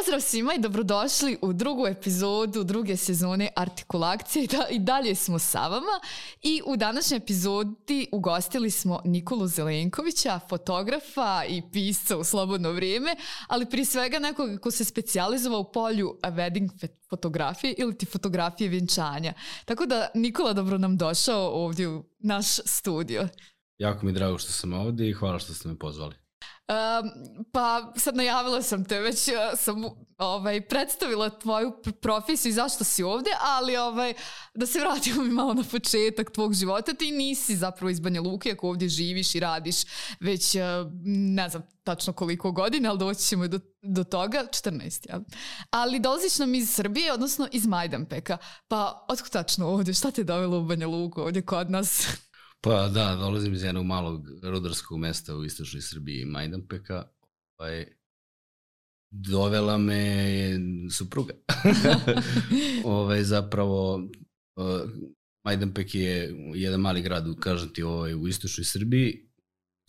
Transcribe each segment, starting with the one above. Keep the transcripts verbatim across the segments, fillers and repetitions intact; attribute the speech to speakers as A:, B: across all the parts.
A: Pozdrav svima i dobrodošli u drugu epizodu druge sezone Artikulakcije. I dalje smo sa vama i u današnjoj epizodi ugostili smo Nikolu Zelenkovića, fotografa i pisca u slobodno vrijeme, ali prije svega nekoga ko se specijalizovao u polju wedding fotografije ili ti fotografije vjenčanja. Tako da, Nikola, dobro nam došao ovdje u naš studio.
B: Jako mi je drago što sam ovdje i hvala što ste me pozvali.
A: Um, pa sad najavila sam te, već sam ovaj, predstavila tvoju profesiju i zašto si ovdje, ali ovaj, da se vratimo mi malo na početak tvog života. Ti nisi zapravo iz Banja Luke, ako ovdje živiš i radiš već ne znam tačno koliko godina, ali doći ćemo do, do toga, četrnaest, ja. Ali dolaziš nam iz Srbije, odnosno iz Majdanpeka. Pa otkud tačno ovdje? Šta te dovelo u Banja Luku ovdje kod nas?
B: Pa da, dolazim iz jednog malog rudarskog mesta u istočnoj Srbiji, Majdanpeka. Ovaj, dovela me supruga. ovaj, zapravo, uh, Majdanpek je jedan mali grad, kažem ti, ovaj, u istočnoj Srbiji,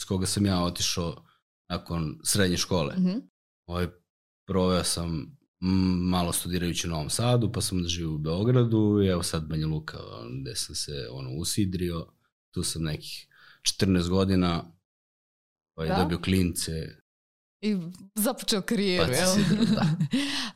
B: s koga sam ja otišao nakon srednje škole. Mm-hmm. Ovaj, proveo sam malo studirajući u Novom Sadu, pa sam onda živio u Beogradu i evo sad Banja Luka, gde sam se ono, usidrio. Tu sam nekih četrnaest godina, ovaj, dobio klince.
A: I započeo karijeru,
B: pa,
A: jel?
B: Si, da.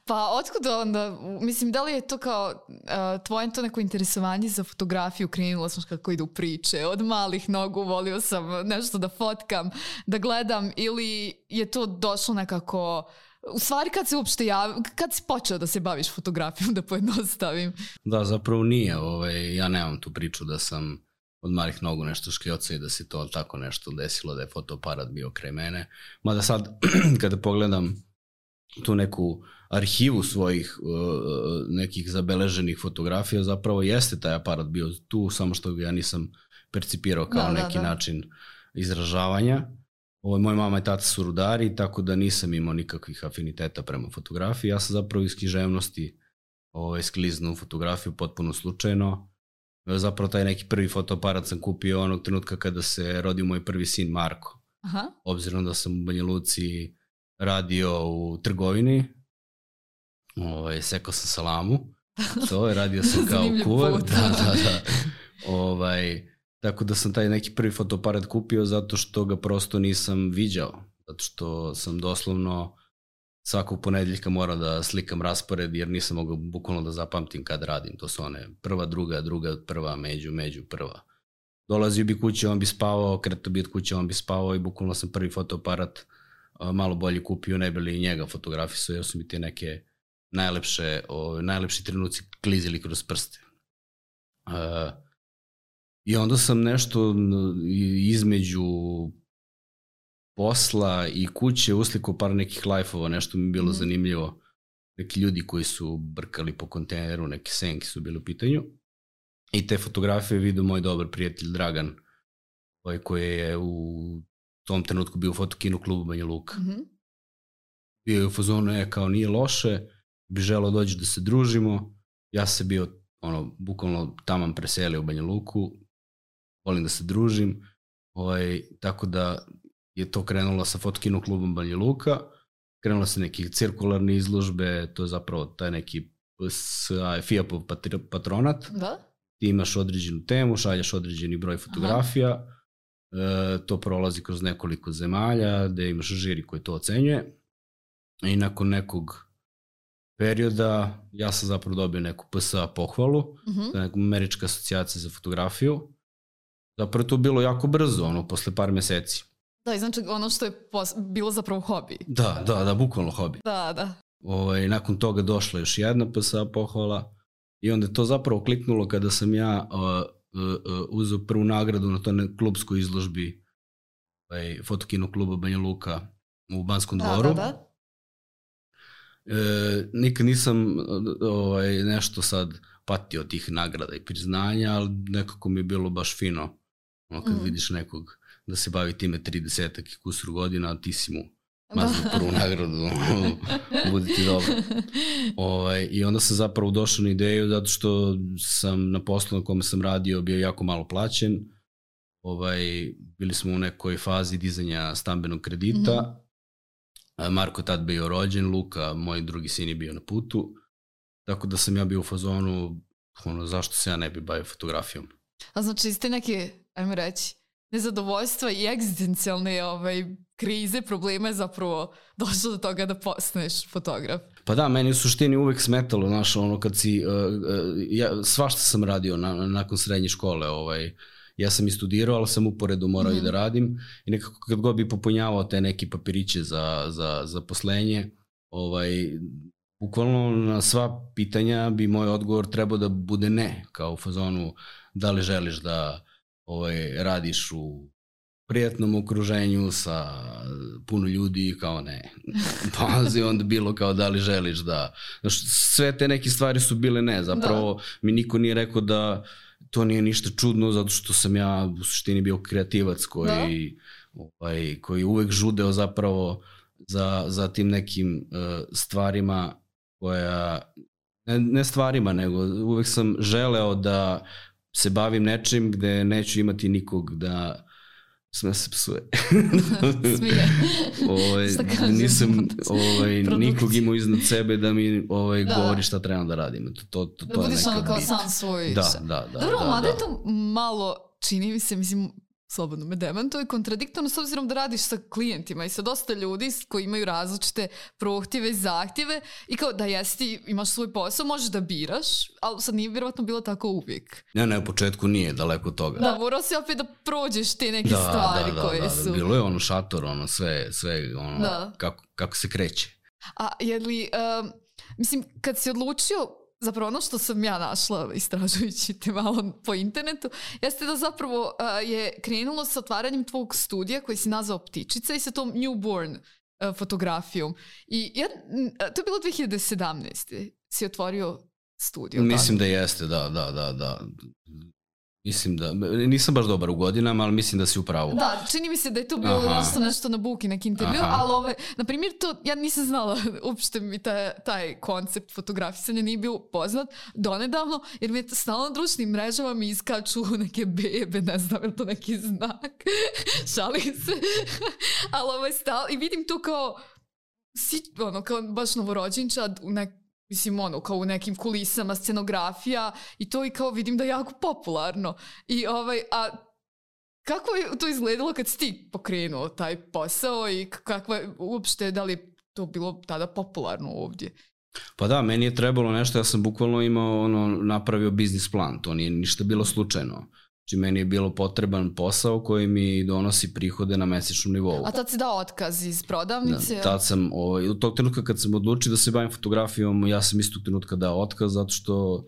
A: Pa otkud onda, mislim, da li je to kao uh, tvoje to neko interesovanje za fotografiju, krenula sam kako idu priče, od malih nogu volio sam nešto da fotkam, da gledam, ili je to došlo nekako, u stvari kad se uopšte javi, kad si počeo da se baviš fotografijom, da pojednostavim?
B: Da, zapravo nije, ovaj, ja nemam tu priču da sam od malih nogu nešto škljoca i da se to tako nešto desilo, da je fotoaparat bio kraj mene. Mada sad, kada pogledam tu neku arhivu svojih uh, nekih zabeleženih fotografija, zapravo jeste taj aparat bio tu, samo što ga ja nisam percipirao kao da, neki da, da. način izražavanja. Ovo, moj mama i tata su rudari, tako da nisam imao nikakvih afiniteta prema fotografiji. Ja sam zapravo iz književnosti ovaj, skliznuo u fotografiju potpuno slučajno. Zapravo taj neki prvi fotoaparat sam kupio onog trenutka kada se rodio moj prvi sin Marko. Aha. Obzirom da sam u Banja Luci radio u trgovini, ovaj, sekao sam salamu, to je, radio sam kao kuvar. Da, da, da. Ovaj, tako da sam taj neki prvi fotoaparat kupio zato što ga prosto nisam viđao. Zato što sam doslovno svakog ponedeljka morao da slikam raspored jer nisam mogao bukvalno da zapamtim kad radim. To su one prva, druga, druga, prva, među, među, prva. Dolazio bi kuće, on bi spavao, kretao bi od kuće, on bi spavao i bukvalno sam prvi fotoaparat malo bolje kupio, ne bi li njega fotografisao jer su mi te neke najlepše, o, najlepši trenuci klizili kroz prste. Uh, I onda sam nešto između posla i kuće uslikao par nekih live-ova, nešto mi je bilo mm. zanimljivo. Neki ljudi koji su brkali po kontejneru, neke senke su bili u pitanju. I te fotografije vidio moj dobar prijatelj Dragan, ovaj koji je u tom trenutku bio u fotokinu klubu Banja Luka. Mm-hmm. Bio je u fazonu, je kao nije loše, bi želeo doći da se družimo. Ja se bio, ono, bukvalno taman preselio u Banja Luku, volim da se družim, ovaj, tako da je to krenulo sa fotokinu klubom Banja Luka, krenulo se neke cirkularne izložbe, to je zapravo taj neki F I A P-ov patronat. Da? Ti imaš određenu temu, šalješ određeni broj fotografija, e, to prolazi kroz nekoliko zemalja, gde imaš žiri koji to ocenjuje i nakon nekog perioda ja sam zapravo dobio neku P S A pohvalu, uh-huh. to je neka Američka asocijacija za fotografiju. Zapravo to bilo jako brzo, ono, posle par meseci.
A: Da, i znači ono što je pos- bilo zapravo hobi.
B: Da, da, da, bukvalno hobi.
A: Da, da.
B: Ovaj, nakon toga došla još jedna P S A pohvala i onda je to zapravo kliknulo kada sam ja uh, uh, uh, uzeo prvu nagradu na toj klubskoj izložbi ovaj, fotokino kluba Banja Luka u Banskom
A: da,
B: dvoru.
A: Da, da.
B: E, nikad nisam ovaj, nešto sad patio od tih nagrada i priznanja, ali nekako mi je bilo baš fino ono, kad mm. vidiš nekog da se bavi time tridesetak i kusur godina, a ti si mu mazno prvu nagradu, bude ti dobro. Ovaj, I onda sam zapravo došao na ideju zato što sam na poslu na kome sam radio bio jako malo plaćen. Ovaj, bili smo u nekoj fazi dizanja stambenog kredita mm-hmm. Marko je tad bio rođen, Luka, moj drugi sin je bio na putu, tako da sam ja bio u fazonu, ono, zašto se ja ne bi bavio fotografijom.
A: A znači, iz te neke, ajmo reći, nezadovoljstva i egzistencijalne ovaj, krize, problema je zapravo došlo do toga da postaneš fotograf.
B: Pa da, meni u suštini uvek smetalo, znaš, ono kad si, uh, uh, ja, svašta sam radio na, nakon srednje škole, ovaj, ja sam i studirao, ali sam uporedo morao mm-hmm. i da radim i nekako kad god bi popunjavao te neki papiriće za, za, za poslenje, ovaj, bukvalno na sva pitanja bi moj odgovor trebao da bude ne, kao u fazonu da li želiš da ovaj, radiš u prijatnom okruženju sa puno ljudi, kao ne. Pazi, onda bilo kao da li želiš da... Znaš, sve te neke stvari su bile ne, zapravo da. Mi niko nije rekao da to nije ništa čudno, zato što sam ja u suštini bio kreativac koji, ovaj, koji uvek žudeo zapravo za, za tim nekim uh, stvarima koja... Ne, ne stvarima, nego uvek sam želeo da se bavim nečim gde neću imati nikog da sme se psuje.
A: Smije.
B: ovaj, nisam ovaj, nikog imao iznad sebe da mi ovaj, da. govori šta trebam da radim. To, to, to,
A: da budiš ono kao sam svoj.
B: Da, da, da.
A: Dobro,
B: da,
A: mada
B: da.
A: je to malo, čini mi se, mislim, slobodno me demantuje, kontradiktorno s obzirom da radiš sa klijentima i sa dosta ljudi koji imaju različite prohtjeve i zahtjeve i kao da jesi, imaš svoj posao, možeš da biraš, ali sad nije vjerovatno bilo tako uvijek.
B: Ne, ne, u početku nije, daleko od toga.
A: Da, morao si opet da prođeš te neke da, stvari
B: da, da,
A: koje
B: da,
A: su...
B: Da, bilo je ono šator, ono sve, sve ono,
A: da.
B: kako, kako se kreće.
A: A je li, um, mislim, kad si odlučio, zapravo ono što sam ja našla istražujući te malo po internetu, jeste da zapravo uh, je krenulo sa otvaranjem tvog studija koji si nazvao Ptičica i sa tom newborn uh, fotografijom. I ja, to je bilo dve hiljade sedamnaeste si otvorio studio.
B: Mislim
A: tako?
B: Da jeste, da, da, da, da. Mislim da, nisam baš dobar u godinama, ali mislim da si u pravu.
A: Da, čini mi se da je to bilo nešto, nešto na Buki, neki intervju, Aha. ali ove, na primjer to, ja nisam znala, uopšte mi taj, taj koncept fotografisanja nije bio poznat donedavno, jer mi je stalno na društvenim mrežama mi iskaču neke bebe, ne znam, je to neki znak, šalim se, ali ovaj stal, i vidim to kao, si, ono, kao baš novorođenčad u nek mislim, ono, kao u nekim kulisama, scenografija i to i kao vidim da je jako popularno. I ovaj, a kako je to izgledalo kad si ti pokrenuo taj posao i kakva je uopšte, da li je to bilo tada popularno ovdje?
B: Pa da, meni je trebalo nešto, ja sam bukvalno imao, ono, napravio biznis plan, to nije ništa bilo slučajno. Znači, meni je bilo potreban posao koji mi donosi prihode na mesečnom nivou.
A: A tad si dao otkaz iz prodavnice?
B: Da, tad sam, ovaj, u tog trenutka kad sam odlučio da se bavim fotografijom, ja sam istog trenutka dao otkaz, zato što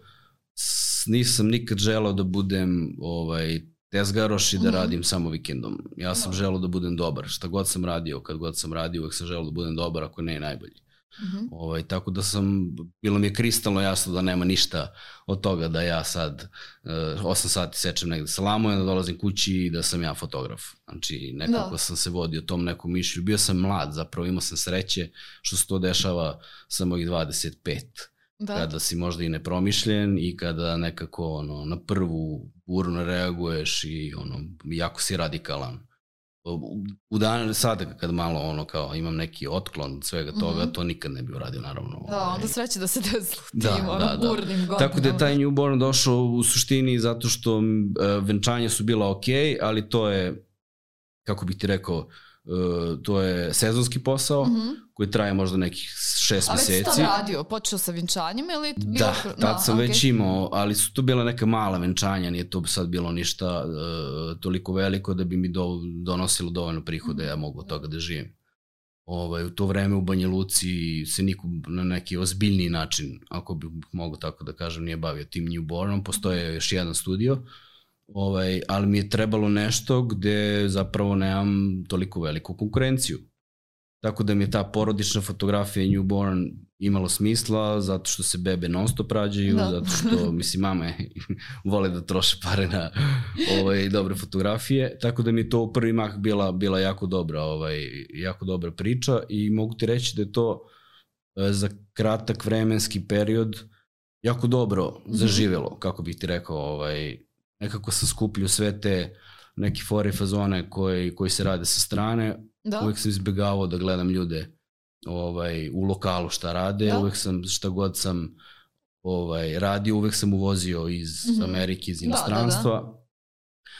B: nisam nikad želeo da budem ovaj, tezgaroš i da mm-hmm. radim samo vikendom. Ja sam no. želeo da budem dobar. Šta god sam radio, kad god sam radio, uvek sam želeo da budem dobar, ako ne najbolji. Mm-hmm. Ovaj, tako da sam, bilo mi je kristalno jasno da nema ništa od toga da ja sad uh, osam sati sečem negde salamu i da dolazim kući i da sam ja fotograf. Znači nekako da. sam se vodio tom nekom mišlju. Bio sam mlad, zapravo imao sam sreće što se to dešava sa mojih dvadeset pet. Da. Kada si možda i nepromišljen i kada nekako ono, na prvu burno reaguješ i ono, jako si radikalan. U dan, sad kad malo ono kao imam neki otklon svega toga, mm-hmm. to nikad ne bi uradio naravno.
A: Da, onda sreće da se desilo tim da, ono da, burnim godinama.
B: Tako da je taj newborn došao u suštini zato što uh, venčanja su bila ok, ali to je, kako bih ti rekao, uh, to je sezonski posao mm-hmm. koji traje možda nekih šest meseci. A već si to
A: radio, počeo sa venčanjem ili? Bilo...
B: Da, tad sam no, već okay. imao, ali su to bila neka mala venčanja, nije to sad bilo ništa uh, toliko veliko da bi mi do, donosilo dovoljno prihoda, mm-hmm. ja mogu od toga da živim. Ovaj, u to vreme u Banja Luci se niko na neki ozbiljniji način, ako bi mogu tako da kažem, nije bavio tim newbornom, postoje još jedan studio, ovaj, ali mi je trebalo nešto gde zapravo nemam toliko veliku konkurenciju. Tako da mi je ta porodična fotografija newborn imalo smisla, zato što se bebe non stop rađaju, da. zato što, mislim, mame vole da troše pare na ovaj, dobre fotografije, tako da mi je to u prvi mah bila, bila jako dobra, ovaj, jako dobra priča i mogu ti reći da je to e, za kratak vremenski period jako dobro mm-hmm. zaživelo, kako bih ti rekao, ovaj, nekako sam skupljio sve te neke fore i fazone koji, koji se rade sa strane. Da. Uvijek sam izbjegavao da gledam ljude ovaj, u lokalu šta rade,
A: da.
B: uvek sam, šta god sam ovaj, radio, uvek sam uvozio iz mm-hmm. Amerike, iz inostranstva. Da, da, da.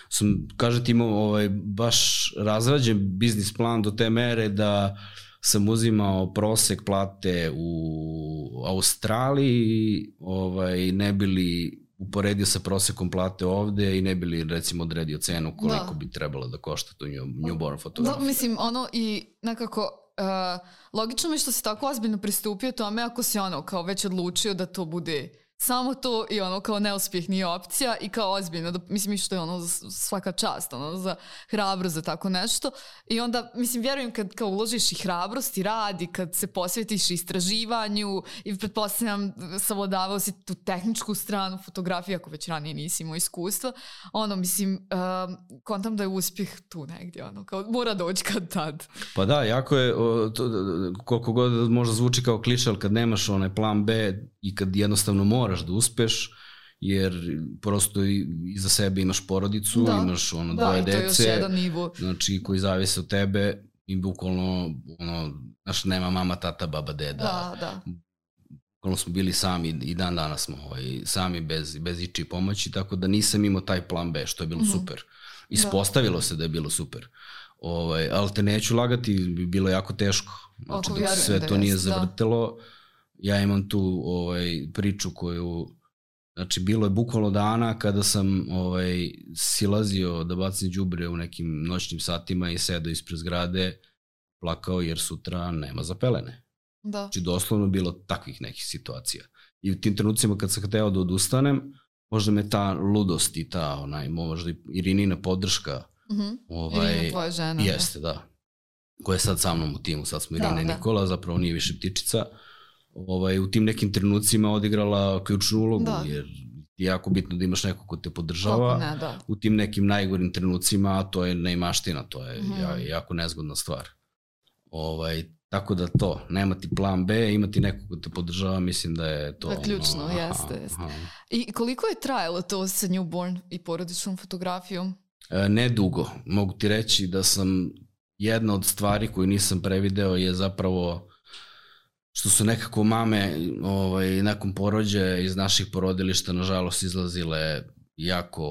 B: Sam, kažete, imao ovaj, baš razrađen biznis plan do te mere da sam uzimao prosek plate u Australiji, ovaj, ne bili uporedio sa prosekom plate ovde i ne bili recimo odredio cenu koliko da. bi trebalo da košta tu newborn fotografija.
A: Da, mislim, ono i nekako uh, logično mi što si tako ozbiljno pristupio tome ako si ono kao već odlučio da to bude samo to i ono kao neuspjeh nije opcija i kao ozbiljno, da, mislim što je ono svaka čast, ono za hrabrost za tako nešto i onda, mislim, vjerujem kad kao uložiš i hrabrost i rad i kad se posvetiš istraživanju i pretpostavljam savladavao si tu tehničku stranu fotografije ako već ranije nisi imao iskustva, ono, mislim, um, kontam da je uspjeh tu negdje, ono, kao mora doći kad tad.
B: Pa da, jako je, o, to, koliko god možda zvuči kao kliše, ali kad nemaš onaj plan B i kad jednostavno moraš da uspeš, jer prosto iza sebe imaš porodicu, da. imaš ono da, dvoje dece, znači koji zavise od tebe i bukvalno ono, znaš, nema mama, tata, baba, deda.
A: Da, da.
B: Bukvalno smo bili sami i dan danas smo ovaj, sami bez, bez ičije pomoći, tako da nisam imao taj plan B, što je bilo mm-hmm. super. Ispostavilo da. se da je bilo super. Ovaj, ali te neću lagati, bilo jako teško. Znači, dok sve to nije zavrtelo, da. ja imam tu ovaj, priču koju, znači bilo je bukvalno dana kada sam ovaj, silazio da bacim đubre u nekim noćnim satima i sedao ispred zgrade, plakao jer sutra nema za pelene.
A: Da.
B: Znači doslovno bilo takvih nekih situacija. I u tim trenucima kad sam hteo da odustanem, možda me ta ludost i ta onaj, možda i Irinina podrška.
A: Mm-hmm.
B: Ovaj,
A: Irina tvoja žena.
B: Jeste, da. da. Koja je sad sa mnom u timu, sad smo Irina i Nikola, zapravo nije više ptičica. Ovaj, u tim nekim trenucima odigrala ključnu ulogu, da. jer je jako bitno da imaš neko ko te podržava
A: ne, da.
B: u tim nekim najgorim trenucima, a to je neimaština, to je mm-hmm. jako nezgodna stvar. Ovaj, tako da to, nemati plan B, imati neko ko te podržava, mislim da je to...
A: Da, ključno,
B: ono,
A: jeste, aha, jeste. Aha. I koliko je trajalo to sa newborn i porodičnom fotografijom?
B: E, ne dugo. Mogu ti reći da sam, jedna od stvari koju nisam prevideo je zapravo što su nekako mame ovaj, nakon porođaja iz naših porodilišta nažalost izlazile jako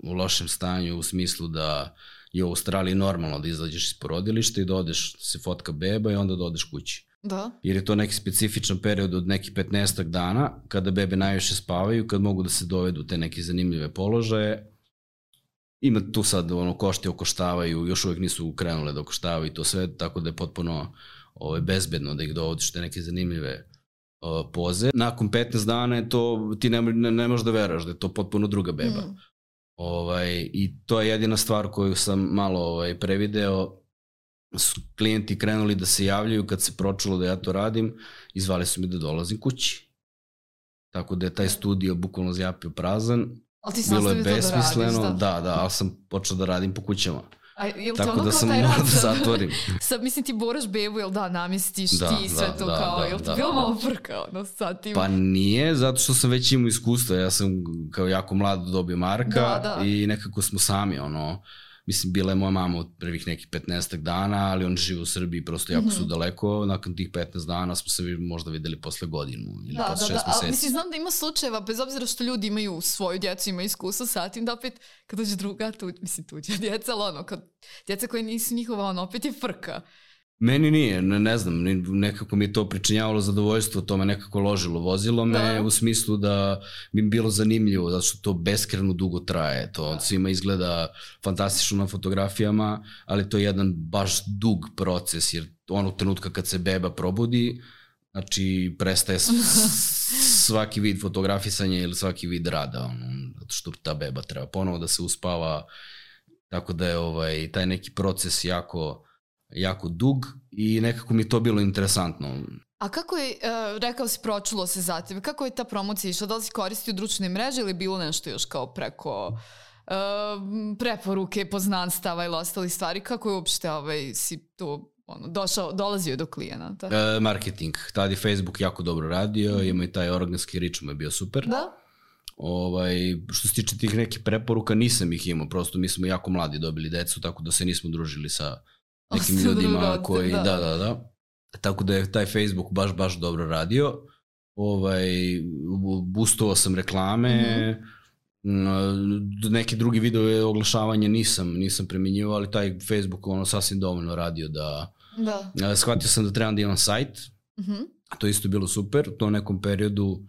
B: u lošem stanju u smislu da je u Australiji normalno da izađeš iz porodilišta i da odeš, se fotka beba i onda da odeš kući.
A: Da.
B: Jer je to neki specifičan period od nekih petnaestak dana kada bebe najviše spavaju, kad mogu da se dovedu te neke zanimljive položaje. Ima tu sad ono, košti okoštavaju, još uvijek nisu krenule da okoštavaju i to sve, tako da je potpuno ovaj, bezbedno da ih dovodiš te neke zanimljive uh, poze. Nakon petnaest dana je to, ti ne, ne, ne možeš da veraš da je to potpuno druga beba. Mm. Ovaj, i to je jedina stvar koju sam malo ovaj, prevideo. Su klijenti krenuli da se javljaju kad se pročulo da ja to radim i zvali su mi da dolazim kući. Tako da je taj studio bukvalno zjapio prazan. Bilo je besmisleno, da, radiš, da. da, da, ali sam počeo da radim po kućama.
A: A, jel
B: tako
A: ono
B: da sam morao da zatvorim.
A: Sad, mislim, ti boraš bebu, jel da, namjestiš da, ti sve da, to da, kao, da, jel ti da, bilo da, malo frka, ono, sad tim?
B: Pa nije, zato što sam već imao iskustva, ja sam kao jako mlad dobio Marka da, da. i nekako smo sami, ono, mislim, bila je moja mama od prvih nekih petnaestak dana, ali on žive u Srbiji, prosto jako mm-hmm. su daleko, nakon tih petnaest dana smo se možda videli posle godinu ili da, posle da, šest da. meseci.
A: Mislim, znam da ima slučajeva, bez obzira što ljudi imaju svoju djecu, imaju iskustvo sa tim, da opet kad dođe druga, tu, mislim, tuđa djeca, ali ono, kad djeca koje nisu njihova, ono, opet je frka.
B: Meni nije, ne, ne znam, nekako mi je to pričinjavalo zadovoljstvo, to me nekako ložilo, vozilo me da. u smislu da bi mi bilo zanimljivo, zato što to beskreno dugo traje, to da. svima izgleda fantastično na fotografijama, ali to je jedan baš dug proces, jer onog trenutka kad se beba probudi, znači prestaje svaki vid fotografisanja ili svaki vid rada, ono, zato što ta beba treba ponovo da se uspava, tako da je ovaj, taj neki proces jako... jako dug i nekako mi to bilo interesantno.
A: A kako je, uh, rekao si, pročulo se za tebe, kako je ta promocija išla? Da li si koristio društvene mreže ili bilo nešto još kao preko uh, preporuke, poznanstava ili ostali stvari? Kako je uopšte ovaj, si to ono, došao, dolazio do klijenata?
B: Uh, marketing. Tad je Facebook jako dobro radio, mm. ima i taj organski rič mu je bio super.
A: Da?
B: Ovaj, što se tiče tih nekih preporuka, nisam ih imao, prosto mi smo jako mladi dobili decu, tako da se nismo družili sa nekim ljudima koji, da, da, da. tako da je taj Facebook baš, baš dobro radio. Ovaj, boostovao sam reklame, mm-hmm. neke drugi video oglašavanje nisam, nisam primjenjivao, ali taj Facebook ono sasvim dovoljno radio da... da. Shvatio sam da trebam da imam sajt, mm-hmm. to isto bilo super, u tom nekom periodu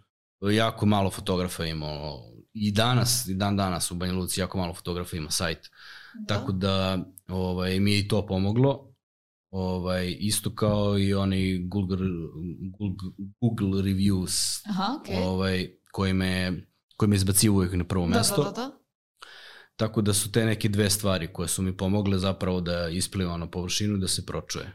B: jako malo fotografa imao, i danas, i dan danas u Banja Luci jako malo fotografa ima sajt, da. Tako da ovaj, mi je i to pomoglo. Ovaj, isto kao i oni Google, Google, Google reviews. Aha, okay. Ovaj, koji me, koji me izbacio uvijek na prvo mesto.
A: Da, da, da.
B: Tako da su te neke dve stvari koje su mi pomogle zapravo da ispliva na površinu i da se pročuje.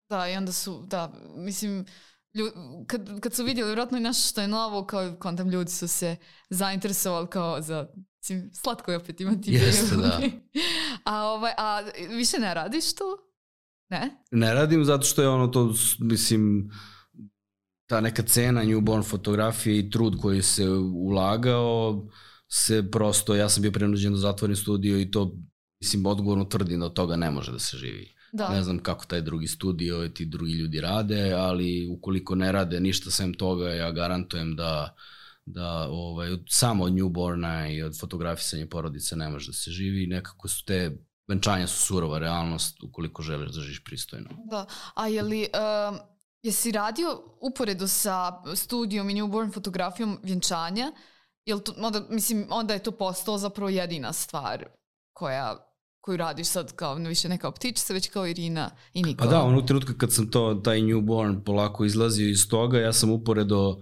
A: Da, i onda su, da, mislim, ljud, kad, kad su vidjeli vjerojatno i nešto što je novo, kao kontam ljudi su se zainteresovali kao za, mislim, slatko je opet imati.
B: Jeste, da.
A: a, ovaj, a više ne radiš to? Ne?
B: Ne radim zato što je ono to, mislim, ta neka cena newborn fotografije i trud koji se ulagao se prosto, ja sam bio prenuđen da zatvorim studio i to, mislim, odgovorno tvrdim da od toga ne može da se živi. Da. Ne znam kako taj drugi studio i ti drugi ljudi rade, ali ukoliko ne rade ništa sem toga, ja garantujem da, da ovaj, samo od newborna i od fotografisanja porodice ne može da se živi. Nekako su te venčanja su surova realnost ukoliko želiš da živiš pristojno.
A: Da, a je li, um, jesi radio uporedo sa studijom i newborn fotografijom vjenčanja? Jel to, onda, mislim, onda je to postalo zapravo jedina stvar koja, koju radiš sad kao više neka optičica, već kao Irina i Nikola.
B: Pa da, ono trenutka kad sam to, taj newborn polako izlazio iz toga, ja sam uporedo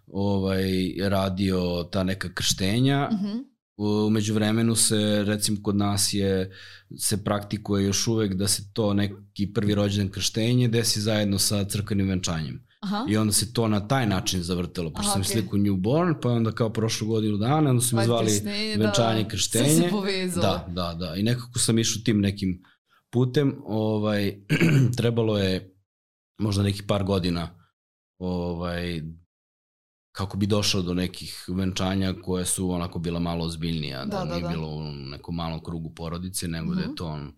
B: ovaj, radio ta neka krštenja. Mhm. U međuvremenu se, recimo kod nas je, se praktikuje još uvek da se to neki prvi rođendan krštenje desi zajedno sa crkvenim venčanjem. Aha. I onda se to na taj način zavrtelo, pošto sam okay. sliku newborn, pa onda kao prošlu godinu dana, onda su mi zvali krštenje, venčanje, da, krštenje.
A: Sve se povezalo.
B: Da, da, da. I nekako sam išao tim nekim putem, ovaj, trebalo je možda nekih par godina ovaj, kako bi došao do nekih venčanja koje su onako bila malo ozbiljnija, da, da, da nije da. bilo u nekom malom krugu porodice, nego mm-hmm. da je to on,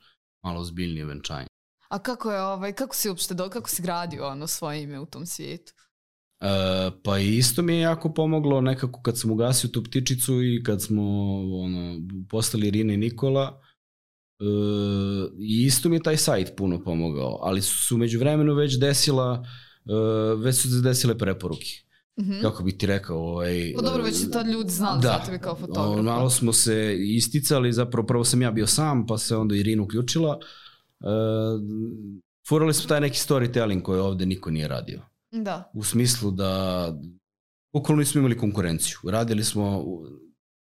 B: malo ozbiljnije venčanje.
A: A kako je, ovaj, kako si uopšte, do, kako si gradio ono svoje ime u tom svijetu?
B: E, pa isto mi je jako pomoglo nekako kad sam ugasio tu ptičicu i kad smo ono, postali Irina i Nikola, e, i isto mi je taj sajt puno pomogao, ali su među vremenu već desila, e, već su se desile preporuke. Mm-hmm. Kako bih ti rekao, ovaj,
A: pa dobro, već su tad ljudi znali da, za tebe kao fotograf.
B: Malo smo se isticali, zapravo prvo sam ja bio sam, pa se onda Irina uključila. Uh, furali smo taj neki storytelling koji ovde niko nije radio.
A: Da.
B: U smislu da bukvalno nismo imali konkurenciju. Radili smo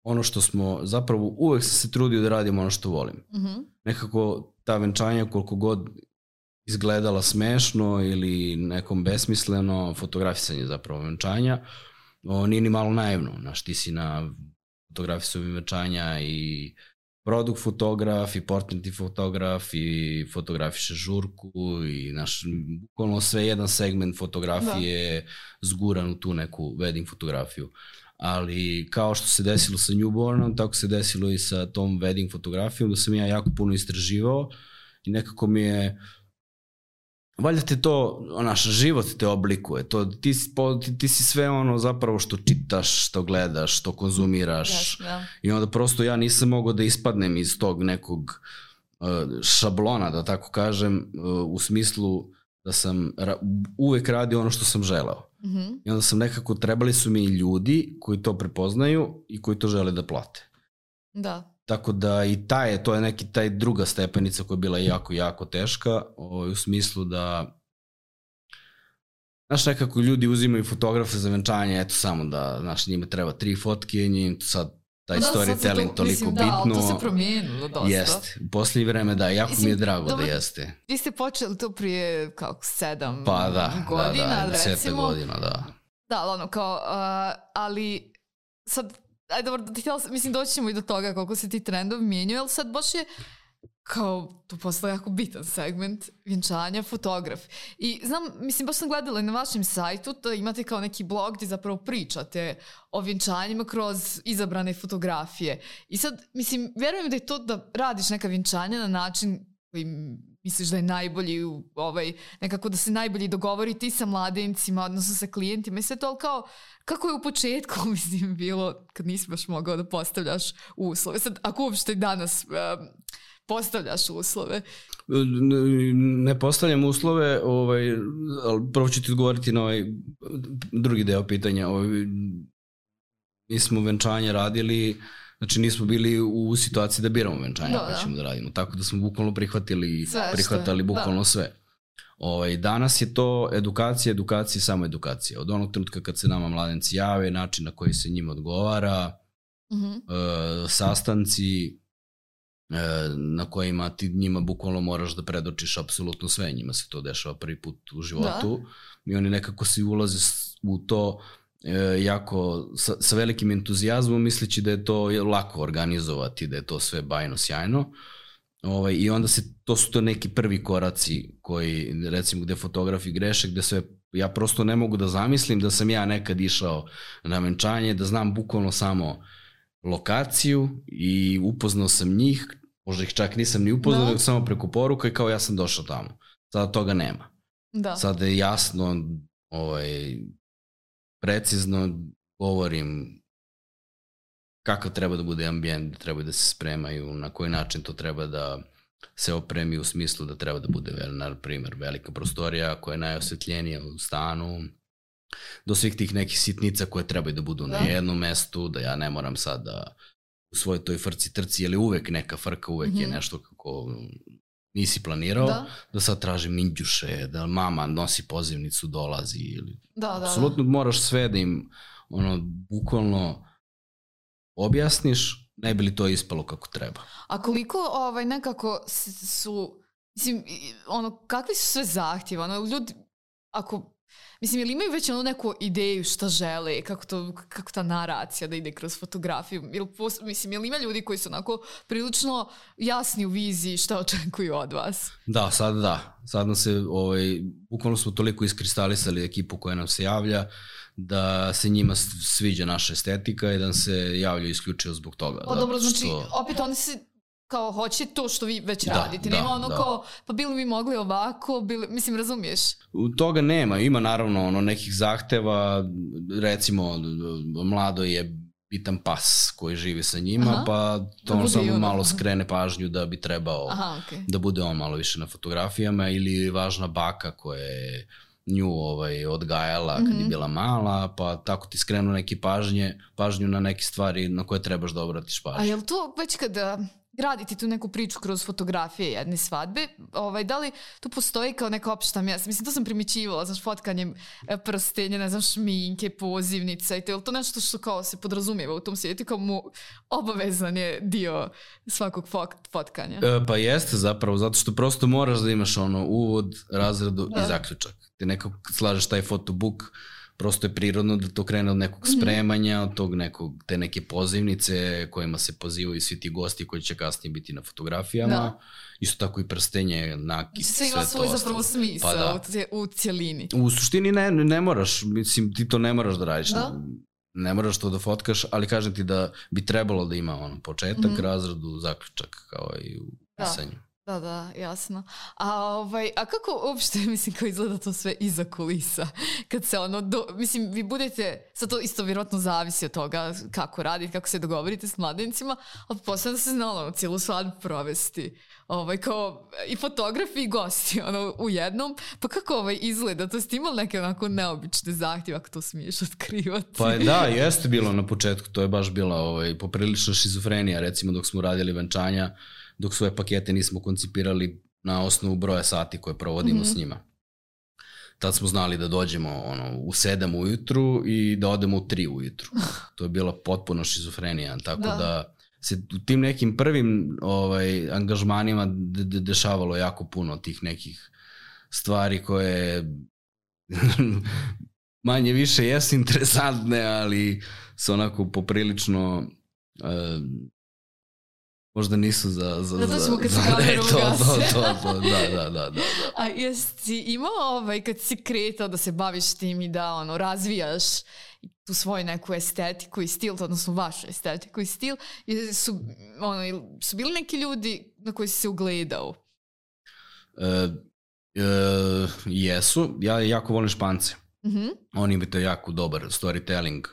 B: ono što smo, zapravo uvek sam se trudio da radimo ono što volim. Mm-hmm. Nekako ta venčanja koliko god izgledala smešno ili nekom besmisleno, fotografisanje zapravo venčanja, o, nije ni malo naivno. Znaš, ti si na fotografisovanju venčanja i produkt fotograf, i portretni fotograf, i fotografiše žurku, i naš, bukvalno sve jedan segment fotografije da. Zguran u tu neku wedding fotografiju. Ali kao što se desilo sa newbornom, tako se desilo i sa tom wedding fotografijom, da sam ja jako puno istraživao i nekako mi je valjda te to, naš život te oblikuje, to, ti, ti, ti si sve ono zapravo što čitaš, što gledaš, što konzumiraš. Yes, yeah. I onda prosto ja nisam mogao da ispadnem iz tog nekog uh, šablona, da tako kažem, uh, u smislu da sam ra- uvek radio ono što sam želeo. Mm-hmm. I onda sam nekako, trebali su mi ljudi koji to prepoznaju i koji to žele da plate.
A: Da.
B: Tako da i taj, to je neki taj druga stepenica koja je bila jako, jako teška, o, u smislu da, znaš, nekako ljudi uzimaju fotografe za venčanje, eto samo da, znaš, njima treba tri fotke, njim sad taj da, storytelling to, toliko mislim, bitno. Da, ali
A: to se promijenilo dosta.
B: Jeste, u posljednje vreme da, jako mislim, mi je drago dobro, da jeste.
A: Vi ste počeli to prije kako sedam
B: pa, da,
A: godina,
B: da, da,
A: recimo.
B: godina, da.
A: Da, ono, kao, uh, ali sad, ajde, dobro, htjela, mislim, doći ćemo i do toga koliko se ti trendovi mijenjaju, ali sad baš je kao, to postao jako bitan segment vjenčanja, fotograf. I znam, mislim, baš sam gledala i na vašem sajtu, da imate kao neki blog gdje zapravo pričate o vjenčanjima kroz izabrane fotografije. I sad, mislim, vjerujem da je to da radiš neka vjenčanja na način koji misliš da je najbolji, ovaj, nekako da se najbolji dogovori ti sa mladencima, odnosno sa klijentima i sve to, ali kao, kako je u početku, mislim, bilo kad nisi baš mogao da postavljaš uslove. Sad, ako uopšte danas um, postavljaš uslove?
B: Ne postavljam uslove, ovaj, ali prvo ću ti odgovoriti na ovaj drugi deo pitanja. Ovaj, mi smo venčanje radili, znači nismo bili u situaciji da biramo venčanje
A: da,
B: koje
A: da.
B: ćemo da radimo, tako da smo bukvalno prihvatili,
A: sve
B: prihvatali
A: što,
B: bukvalno
A: da.
B: sve. Ovaj, danas je to edukacija, edukacija, samo edukacija. Od onog trenutka kad se nama mladenci jave, način na koji se njima odgovara,
A: Mm-hmm.
B: e, sastanci e, na kojima ti njima bukvalno moraš da predočiš apsolutno sve. Njima se to dešava prvi put u životu da. I oni nekako se ulaze u to e, jako sa, sa velikim entuzijazmom, misleći da je to lako organizovati, da je to sve bajno sjajno. Ovaj, I onda se, to su to neki prvi koraci koji, recimo, gde fotografi greše, gde sve, ja prosto ne mogu da zamislim da sam ja nekad išao na venčanje, da znam bukvalno samo lokaciju i upoznao sam njih, možda ih čak nisam ni upoznao, no. samo preko poruka i kao ja sam došao tamo. Sada toga nema.
A: Da.
B: Sada je jasno, ovaj, precizno govorim kakav treba da bude ambijent, treba da se spremaju, na koji način to treba da se opremi u smislu da treba da bude, na primjer, velika prostorija koja je najosvetljenija u stanu, do svih tih nekih sitnica koje trebaju da budu da. na jednom mestu, da ja ne moram sad da u svojoj toj frci trci, jer je uvek neka frka, uvek mm-hmm. je nešto kako nisi planirao, da, da sad tražim ninđuše, da mama nosi pozivnicu, dolazi, ili
A: da, da,
B: apsolutno
A: da.
B: moraš sve da im ono, bukvalno objasniš, ne bi li to ispalo kako treba.
A: A koliko ovaj, nekako su, mislim, ono, kakvi su sve zahtjeva? Ono, ljudi, ako, mislim, ili imaju već ono neku ideju šta žele, kako, to, kako ta naracija da ide kroz fotografiju? Ili, mislim, ili ima ljudi koji su onako prilično jasni u viziji šta očekuju od vas?
B: Da, sad da. Sad nam se, ovaj, bukvalno smo toliko iskristalisali ekipu koja nam se javlja, da se njima sviđa naša estetika i da se javljaju isključivo zbog toga.
A: O, dobro, znači, što... opet oni se kao hoće to što vi već da, radite. Nema da, ono da. kao, pa bili mi mogli ovako, bili, mislim, razumiješ?
B: U toga nema. Ima naravno ono nekih zahteva, recimo, mlado je bitan pas koji živi sa njima, aha, pa to on samo ono. malo skrene pažnju da bi trebao aha, okay. da bude on malo više na fotografijama, ili važna baka koja je nju ovaj, odgajala kad mm-hmm. je bila mala, pa tako ti skrenu neki pažnje, pažnju na neke stvari na koje trebaš da obratiš pažnju.
A: A je li to već kada graditi tu neku priču kroz fotografije jedne svadbe, ovaj, da li tu postoji kao neka opšta mjesta? Mislim, to sam primićivala, znaš, fotkanjem prstenja, ne znam, šminke, pozivnica i to, je li to nešto što kao se podrazumijeva u tom svijetu, kao mu obavezan je dio svakog fotkanja?
B: E, pa jeste zapravo, zato što prosto moraš da imaš ono uvod, razradu da. i zaključak. Ti nekako slažeš taj fotobook, prosto je prirodno da to krene od nekog spremanja, od tog nekog, te neke pozivnice kojima se pozivaju svi ti gosti koji će kasnije biti na fotografijama. Da. Isto tako i prstenje, nakit, sve, sve to. Sve ima svoj
A: zapravo smisao pa da. u cijelini.
B: U suštini ne, ne moraš, mislim, ti to ne moraš da radiš. Da? Ne moraš to da fotkaš, ali kažem ti da bi trebalo da ima ono početak, mm-hmm. razradu, zaključak, kao i u pisanju. Da.
A: Da, da, jasno. A, ovaj, a kako uopšte, mislim, kao izgleda to sve iza kulisa? Kad se ono, do, mislim, vi budete, sad to isto vjerojatno zavisi od toga kako radite, kako se dogovorite s mladencima, ali posle da se znalo ono, cijelu svadbu provesti. Ovaj, kao i fotografi i gosti ono, u jednom. Pa kako ovaj izgleda? To ste imali neke onako neobične zahtjeve, ako to smiješ otkrivati?
B: Pa da, jeste bilo na početku. To je baš bila ovaj, poprilična šizofrenija. Recimo dok smo radili venčanja, dok svoje pakete nismo koncipirali na osnovu broja sati koje provodimo mm-hmm. s njima. Tad smo znali da dođemo ono, u sedam ujutru i da odemo u tri ujutru. To je bila potpuno šizofrenija. Tako da, da se u tim nekim prvim ovaj, angažmanima de- de- dešavalo jako puno tih nekih stvari koje manje više jesu interesantne, ali su onako poprilično... Uh, možda nisu za... za,
A: da, to ćemo kad
B: za,
A: se kameru
B: to,
A: ugasi.
B: To, to, to, da, da, da, da.
A: A jesi imao ovaj, kad si kretao da se baviš tim i da ono, razvijaš tu svoju neku estetiku i stil, odnosno vašu estetiku i stil, su, ono, su bili neki ljudi na koji si se ugledao?
B: Uh, uh, jesu. Ja jako volim Špance.
A: Mhm.
B: Oni imaju to jako dobar storytelling.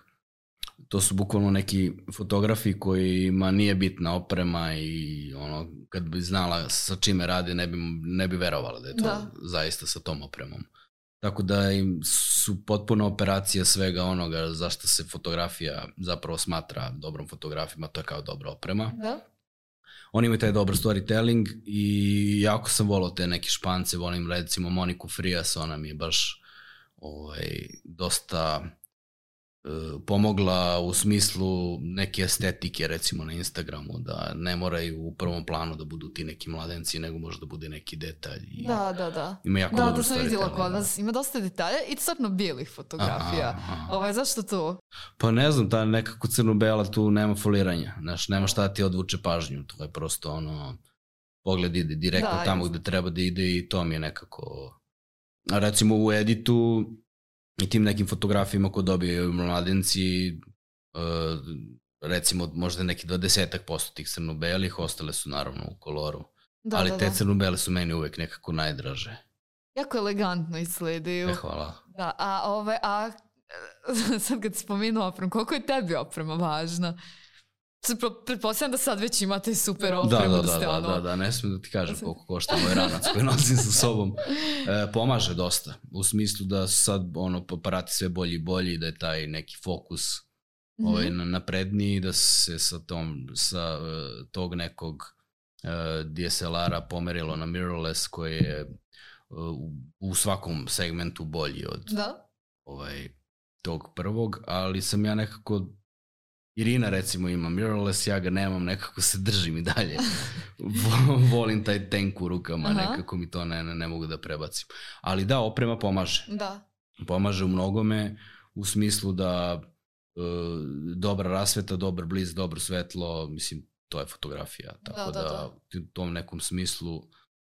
B: To su bukvalno neki fotografi kojima nije bitna oprema i ono, kad bi znala sa čime radi, ne bi, ne bi verovala da je to
A: Da.
B: zaista sa tom opremom. Tako da im su potpuno operacija svega onoga zašto se fotografija zapravo smatra dobrom fotografima, to je kao dobra oprema.
A: Da.
B: Oni imaju taj dobar storytelling i jako sam volao te neke Špance, volim recimo Moniku Frias, ona mi je baš ovaj, dosta uh, pomogla u smislu neke estetike recimo na Instagramu, da ne moraju u prvom planu da budu ti neki mladenci, nego može da bude neki detalj. I
A: Da, da, da.
B: ima jako
A: Da,
B: dobro
A: to sam vidjela
B: storytelling,
A: kod
B: da.
A: vas. Ima dosta detalja i stvarno bijelih fotografija.
B: Aha, aha.
A: Ovaj, zašto to?
B: Pa ne znam, ta nekako crno-bela tu nema foliranja, znaš, nema šta ti odvuče pažnju, to je prosto ono, pogled ide direktno
A: Da,
B: tamo
A: jest.
B: gde treba da ide i to mi je nekako... A recimo u editu i tim nekim fotografijama ko dobiju mladenci, uh, recimo možda neki dvadesetak posto tih crno-belih, ostale su naravno u koloru,
A: Da,
B: ali
A: da,
B: te
A: da.
B: crno-bele su meni uvek nekako najdraže.
A: Jako elegantno izgledaju.
B: E, hvala.
A: Da, a ove, a sad kad spomenuo opremu, koliko je tebi oprema važna? Se pro- Pretpostavljam da sad već imate super
B: Da,
A: opremu,
B: da,
A: da
B: da,
A: ste
B: da,
A: ono...
B: da, da, ne smijem da ti kažem koliko košta moj ranac koji nosim sa sobom. E, pomaže dosta, u smislu da su sad ono, aparati sve bolji i bolji, da je taj neki fokus
A: Mhm.
B: ovaj, na- napredniji, da se sa, tom, sa uh, tog nekog uh, D S L R-a pomerilo na mirrorless koji je uh, u svakom segmentu bolji od
A: Da?
B: ovaj, tog prvog, ali sam ja nekako, Irina recimo ima mirrorless, ja ga nemam, nekako se držim i dalje. Vo- Volim taj tank u rukama,
A: Aha.
B: nekako mi to ne, ne, ne mogu da prebacim. Ali da, oprema pomaže.
A: Da.
B: Pomaže u mnogome, u smislu da e, dobra rasveta, dobar bliz, dobro svetlo, mislim, to je fotografija. Tako
A: Da,
B: da,
A: da, da.
B: u tom nekom smislu,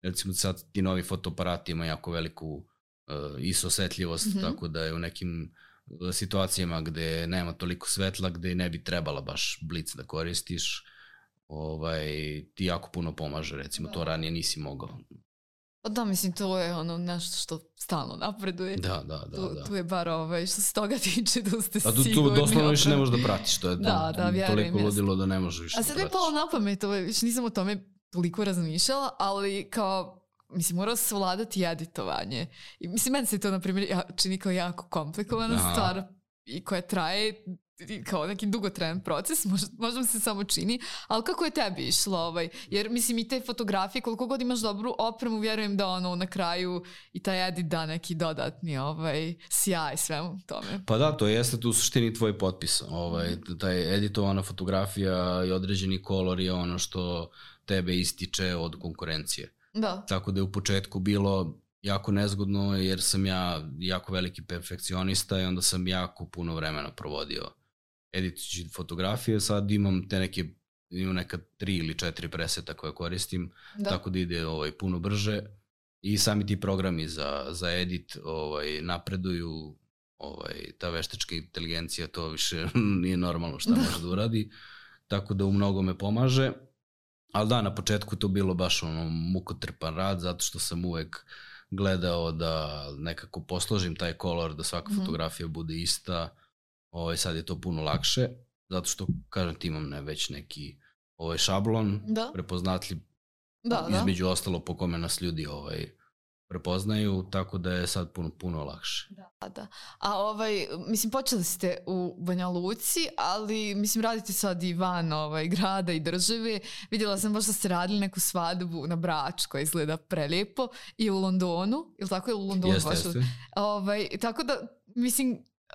B: recimo sad ti novi fotoaparati imaju jako veliku e, I S O osetljivost,
A: Mhm.
B: tako da je u nekim e, situacijama gde nema toliko svetla, gde ne bi trebala baš blic da koristiš, ovaj, ti jako puno pomaže, recimo,
A: Da.
B: to ranije nisi mogao.
A: Pa da, mislim, to je ono nešto što stalno napreduje.
B: Da, da, da.
A: tu,
B: da.
A: tu je bar ovaj, što se toga tiče da ste
B: A tu, tu
A: sigurni.
B: doslovno više ne
A: oprema.
B: možeš da pratiš, to je
A: Da, da, vjerujem,
B: toliko
A: jeste.
B: ludilo da ne možeš više
A: A
B: da
A: sad mi je
B: pratiš.
A: palo na pamet, ovaj, više nisam o tome toliko razmišljala, ali kao, mislim, mora se savladati editovanje. I mislim, meni se to, na primjer, ja- čini kao jako komplikovana
B: Aha.
A: stvar i koja traje i kao neki dugotrajan proces, možda, možda mi se samo čini, ali kako je tebi išlo? Ovaj? Jer, mislim, i te fotografije, koliko god imaš dobru opremu, vjerujem da ono, na kraju i taj edit da neki dodatni ovaj, sjaj svemu tome.
B: Pa da, to jeste tu u suštini tvoj potpis. Ovaj, taj editovana fotografija i određeni kolor je ono što tebe ističe od konkurencije.
A: Da.
B: Tako da je u početku bilo jako nezgodno jer sam ja jako veliki perfekcionista i onda sam jako puno vremena provodio editujući fotografije. Sad imam te neke, imam neka tri ili četiri preseta koje koristim,
A: Da.
B: tako da ide ovaj, puno brže i sami ti programi za, za edit ovaj, napreduju, ovaj, ta veštačka inteligencija to više nije normalno šta
A: Da.
B: može da uradi, tako da u mnogo me pomaže. Ali da, na početku to bilo baš ono mukotrpan rad, zato što sam uvek gledao da nekako posložim taj kolor, da svaka
A: Mhm.
B: fotografija bude ista. Ovaj, sad je to puno lakše, zato što, kažem ti, imam ne, već neki ovaj šablon,
A: Da.
B: prepoznatljiv,
A: Da, da.
B: između ostalo po kome nas ljudi ovaj, prepoznaju, tako da je sad puno, puno lakše.
A: Da, da. A ovaj, mislim, počeli ste u Banja Luci, ali mislim, radite sad i van ovaj, grada i države. Vidjela sam baš da ste radili neku svadbu na Brač koja izgleda prelijepo i u Londonu, ili tako je u Londonu?
B: Jeste,
A: baš?
B: jeste.
A: Ovaj, tako da, mislim, Uh,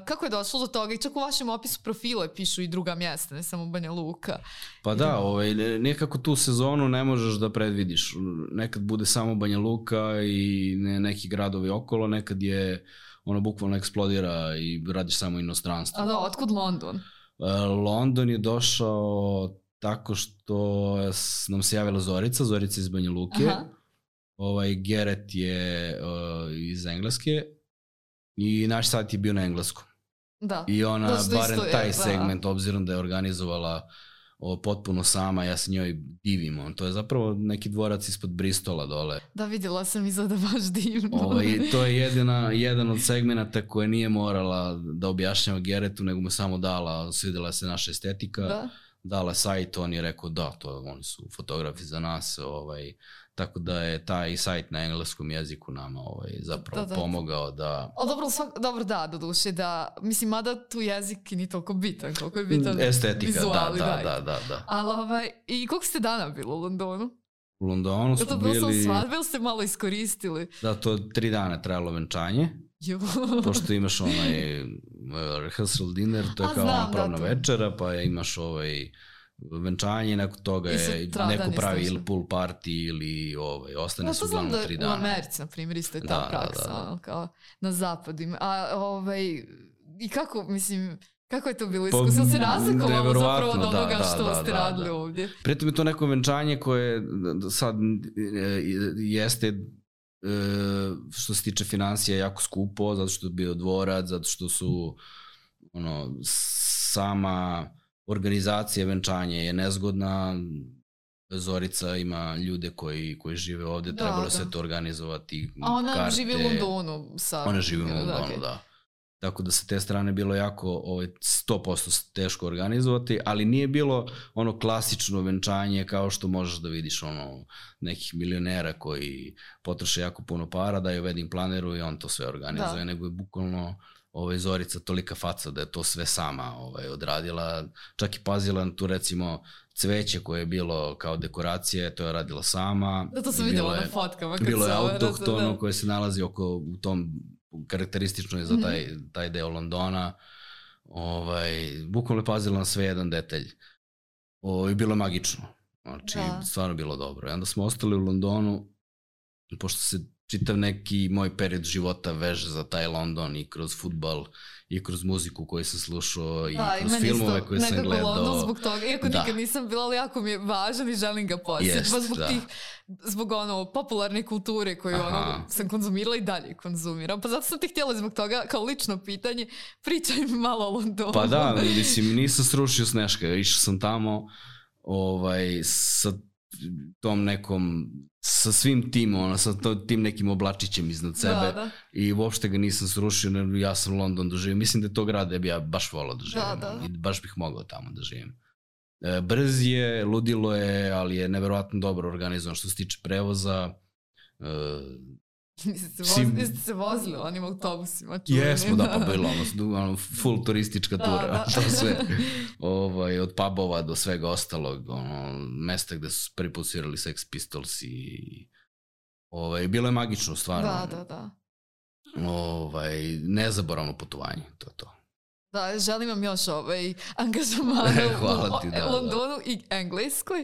A: kako je došlo do toga? I čak u vašem opisu profile pišu i druga mjesta, ne samo Banja Luka.
B: Pa da, ovaj, nekako tu sezonu ne možeš da predvidiš. Nekad bude samo Banja Luka i ne, neki gradovi okolo, nekad je ono bukvalno eksplodira i radiš samo inostranstvo.
A: A da, otkud London?
B: Uh, London je došao tako što s- nam se javila Zorica, Zorica iz Banja Luke.
A: Aha.
B: Ovaj, Geret je uh, iz Engleske i naš sajt je bio na engleskom.
A: Da.
B: I ona,
A: Da, što
B: barem
A: isto je,
B: taj
A: da.
B: segment, obzirom da je organizovala o, potpuno sama, ja se njoj divim. On, to je zapravo neki dvorac ispod Bristola dole.
A: Da, vidjela sam, izgleda baš divno.
B: Ovaj, to je jedina, jedan od segmenata koje nije morala da objašnjava Geretu, nego mu samo dala, svidjela se naša estetika,
A: da.
B: Dala sajt, on je rekao da, to oni su fotografi za nas, ovaj, tako da je taj sajt na engleskom jeziku nama ovaj, zapravo da, da. pomogao da...
A: O, dobro, svak, dobro da, do duše, da, mislim, mada tu jezik nije toliko bitan, koliko je bitan
B: estetika,
A: vizuali,
B: da, da, da, da, da.
A: Ali, ovaj, i koliko ste dana bilo u Londonu?
B: U Londonu smo bili... Je to bilo
A: svadbe ili ste malo iskoristili?
B: Da, to tri dana trajalo venčanje. Pošto imaš onaj rehearsal dinner, to je A, kao znam, pravna da, večera, pa imaš ovaj venčanje, nakon toga je neko pravi ili pool party ili ovaj, ostane se uglavnom da tri dana.
A: U Americi, na primjer, isto je ta da, praksa, da, da, da. Kao na zapadima. A ovaj, i kako, mislim... Kako je to bilo iskustvo? Se razlikovalo zapravo od onoga da, što da, ste da, radili da. Ovdje?
B: Pritom je to neko venčanje koje sad jeste što se tiče financija jako skupo, zato što je bio dvorac, zato što su ono, sama organizacija venčanja je nezgodna, Zorica ima ljude koji, koji žive ovdje, da, trebalo da. Se to organizovati.
A: A ona
B: karte.
A: Živi u Londonu. Sa...
B: Ona živi u Londonu, okay. Da. Tako da sa te strane bilo jako ovaj, sto posto teško organizovati, ali nije bilo ono klasično venčanje kao što možeš da vidiš ono nekih milionera koji potroše jako puno para, daju wedding planeru i on to sve organizuje, da. Nego je bukvalno ovaj, Zorica tolika faca da je to sve sama ovaj, odradila, čak i pazila na tu recimo cveće koje je bilo kao dekoracije, to je radila sama.
A: Da, to sam vidjela na fotkama.
B: Bilo je autohtono koje se nalazi oko u tom karakteristično je za taj, taj deo Londona. Ovaj, bukvalno je pazila na sve jedan detalj. O, i bilo je magično. Znači, da. Stvarno bilo dobro. I onda smo ostali u Londonu, pošto se čitav neki moj period života veže za taj London i kroz fudbal i kroz muziku koju sam slušao i da, kroz i filmove koje sam gledao.
A: London zbog toga, iako da. Nikad nisam bila, ali jako mi je važan i želim ga posjetiti. Baš zbog da. Tih, zbog ono, popularne kulture koju ono, sam konzumirala i dalje konzumiram. Pa zato sam ti htjela zbog toga, kao lično pitanje, pričaj mi malo o Londonu.
B: Pa da, mislim, nisam srušio Sneška, išao sam tamo ovaj, sa tom nekom, sa svim tim, ono, sa to, tim nekim oblačićem iznad sebe da, da. I uopšte ga nisam srušio, ja sam London doživio. Mislim da je to grad da bi ja baš volao da živim da, da. I baš bih mogao tamo da živim. E, brz je, ludilo je, ali je neverovatno dobro organizovan što se tiče prevoza. E,
A: Niste se, voz, niste se vozili onim autobusima? Čuveni.
B: Jesmo, da, pa bilo ono, ono full turistička tura, da, da. To sve, ovaj, od pubova do svega ostalog, ono, mesta gde su prvi put svirali Sex Pistols i ovaj, bilo je magično, stvarno.
A: Da, da, da.
B: Ovaj, nezaboravno putovanje, to je to.
A: Da, želim vam još ovaj angažman
B: Hvala ti,
A: u
B: da,
A: Londonu da. I Engleskoj,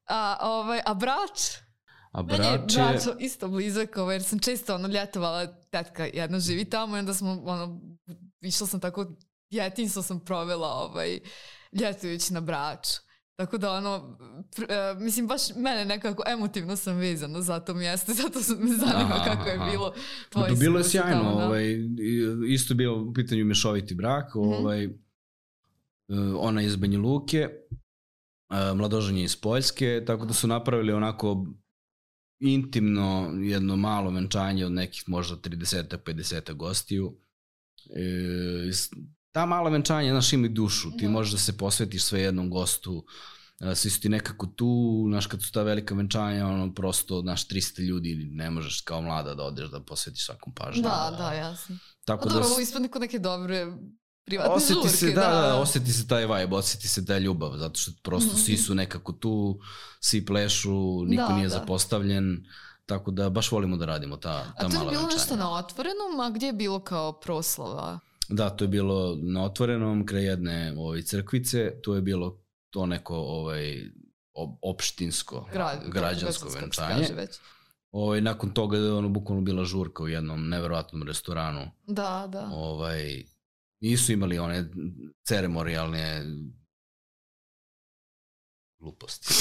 A: a, ovaj, a Brač?
B: A Brač je...
A: Bračo isto blizak, jer sam često ono ljetovala, tetka jedna živi tamo i onda smo, ono, išla sam tako, djetinjstvo sam provela ovaj, ljetujući na Braču. Tako da ono, pr, uh, mislim baš mene nekako emotivno sam vezana za to mjesto, zato me zanima aha, kako je bilo tvoje
B: iskustvo. Bilo je sjajno, tamo, da? Ovaj, isto je bio u pitanju mješoviti brak, mm-hmm. ovaj, ona iz Banja Luke, mladoženje iz Poljske, tako da su napravili onako intimno jedno malo venčanje od nekih možda trideset pedeset gostiju. E, ta mala venčanja, znaš, ima dušu, ti možeš da se posvetiš sve jednom gostu, svi su ti nekako tu, znaš, kad su ta velika venčanja, ono, prosto, znaš, tristo ljudi, ne možeš kao mlada da odeš da posvetiš svakom pažnju.
A: Da, da, jasno. Tako da... Dobro, ispadne kod neke dobre privatne
B: osjeti
A: žurke.
B: Se, da, da, da, osjeti se taj vibe, osjeti se ta ljubav, zato što prosto mm-hmm. svi su nekako tu, svi plešu, niko da, nije da. Zapostavljen, tako da baš volimo da radimo ta, ta mala venčanja. A to je bilo venčanja. Nešto na otvorenom, a gdje je bilo kao proslava? Da, to je bilo na otvorenom, kraj jedne ovaj, crkvice, to je bilo to neko ovaj, opštinsko, Gra, građansko venčanje. Ovaj, nakon toga je ono bukvalno bila žurka u jednom nevjerojatnom restoranu.
A: Da, da.
B: Ovaj, nisu imali one ceremonijalne gluposti.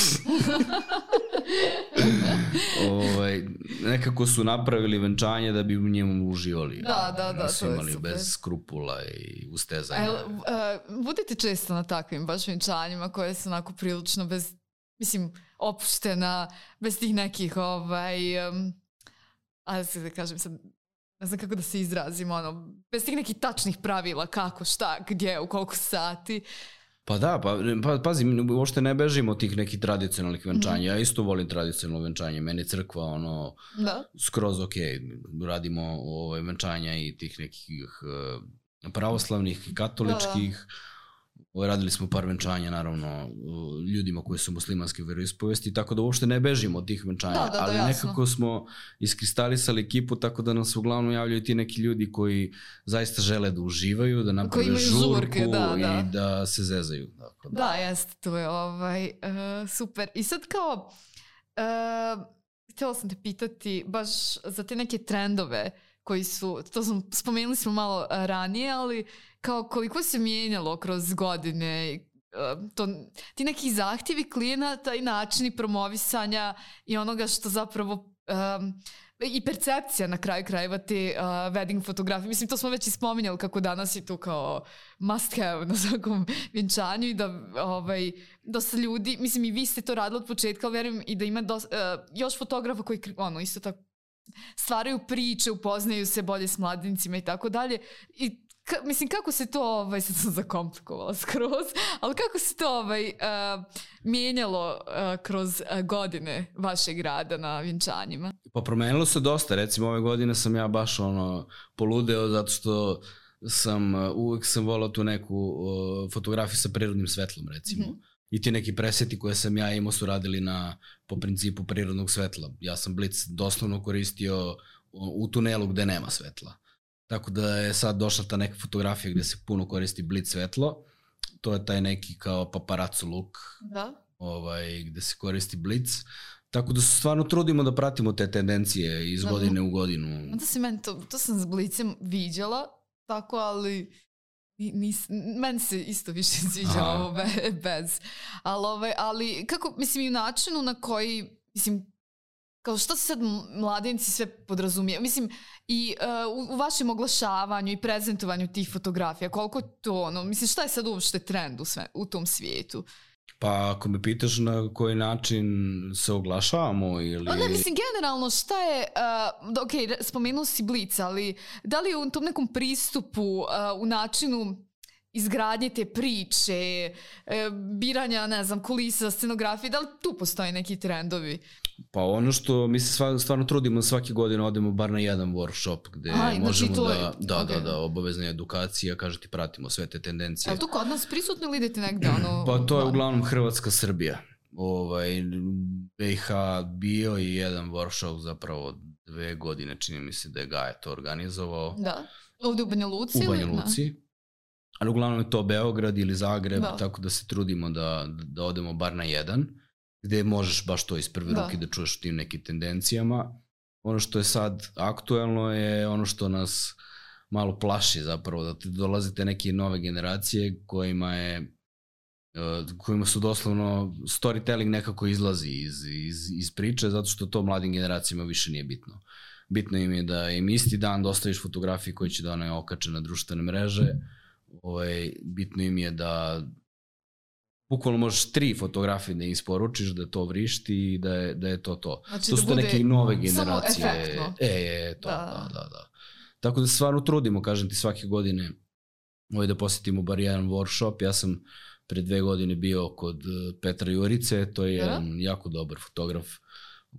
B: ovaj, nekako su napravili venčanje da bi u njemu uživali.
A: Da, da, da.
B: Nisu imali bez skrupula i ustezanja.
A: El, uh, budete često na takvim baš venčanjima koje su onako prilično bez, mislim, opuštena, bez tih nekih, ovaj, um, a da kažem sad, ne znam kako da se izrazim, ono, bez tih nekih tačnih pravila, kako, šta, gdje, u koliko sati.
B: Pa da, pa, pa pazi, uopšte ne bežimo od tih nekih tradicionalnih venčanja. Mm-hmm. Ja isto volim tradicionalno venčanje. Meni crkva, ono, da. Skroz ok. Radimo ovaj, venčanja i tih nekih uh, pravoslavnih, katoličkih. Da, da. Radili smo par venčanja, naravno, ljudima koji su muslimanske veroispovesti, tako da uopšte ne bežimo od tih venčanja, da, da, ali da, nekako smo iskristalisali ekipu, tako da nam se uglavnom javljaju ti neki ljudi koji zaista žele da uživaju, da naprave žurku žurke, da, da. I da se zezaju. Tako da,
A: da, jeste, to je ovaj, uh, super. I sad kao, uh, htjela sam te pitati baš za te neke trendove koji su, to smo, spomenuli smo malo ranije, ali kao koliko se mijenjalo kroz godine, to, ti neki zahtjevi klijenata i načini promovisanja i onoga što zapravo um, i percepcija na kraju krajeva te uh, wedding fotografije. Mislim, to smo već i spominjali kako danas je to kao must have na svakom vjenčanju i da ovaj, dosta ljudi, mislim i vi ste to radili od početka, ali verujem i da ima dosta, uh, još fotografa koji ono, isto tako stvaraju priče, upoznaju se bolje s mladincima i tako dalje. I ka, mislim, kako se to, ovaj, sad sam zakomplikovala skroz, ali kako se to ovaj, uh, mijenjalo uh, kroz uh, godine vašeg rada na vjenčanjima?
B: Pa promenilo se dosta. Recimo, ove godine sam ja baš ono poludeo zato što sam, uh, uvek sam volao tu neku uh, fotografiju sa prirodnim svetlom, recimo. Mm-hmm. I ti neki preseti koje sam ja imao su radili na, po principu prirodnog svetla. Ja sam blic doslovno koristio u tunelu gde nema svetla. Tako da je sad došla ta neka fotografija gde se puno koristi blic svetlo. To je taj neki kao paparazzo look,
A: da.
B: Ovaj, gde se koristi blic. Tako da se stvarno trudimo da pratimo te tendencije iz godine u godinu.
A: Onda si meni to, to sam s blicem viđala, tako ali... Nis, meni se isto više sviđa ovo be, bez. Ali, ove, ali kako, mislim, i u načinu na koji, mislim, kao što se sad mladenci sve podrazumije, mislim, i uh, u, u vašem oglašavanju i prezentovanju tih fotografija, koliko to, ono, mislim, šta je sad uopšte trend u, sve, u tom svijetu?
B: Pa ako me pitaš na koji način se oglašavamo ili...
A: Ne, mislim, generalno šta je, uh, ok, spomenuo si Blic, ali da li u tom nekom pristupu, uh, u načinu izgradnje te priče, uh, biranja, ne znam, kulisa, scenografije, da li tu postoje neki trendovi?
B: Pa ono što mi se stvarno trudimo svake godine odemo bar na jedan workshop gde Aj, možemo znači da, da, okay. da, da, obavezna edukacija, kaže ti pratimo sve te tendencije.
A: Je li to kod nas prisutno ili idete negde? Ono,
B: pa to je uglavnom Hrvatska, Srbija. Ovaj, B i H bio i jedan workshop zapravo dve godine, čini mi se da je Gaja to organizovao.
A: Da, ovde u Banja Luci?
B: U Banja Luci. Ali uglavnom je to Beograd ili Zagreb, da. Tako da se trudimo da, da odemo bar na jedan, gde možeš baš to iz prve da. ruke da čuješ o tim nekim tendencijama. Ono što je sad aktuelno je ono što nas malo plaši zapravo, da dolazite neke nove generacije kojima je kojima su doslovno storytelling nekako izlazi iz, iz, iz priče, zato što to mladim generacijama više nije bitno. Bitno im je da im isti dan dostaviš fotografije koje će da one okače na društvene mreže. Ovaj, bitno im je da bukvalno možeš tri fotografije da isporučiš, da to vrišti i da je, da je to to.
A: Znači
B: to
A: da
B: su te neke nove generacije.
A: Samo efektno.
B: E, e, to, da. da, da, da. Tako da stvarno trudimo, kažem ti, svake godine ovaj, da posjetimo bar jedan workshop. Ja sam pre dve godine bio kod Petra Jurice, to je ja? jedan jako dobar fotograf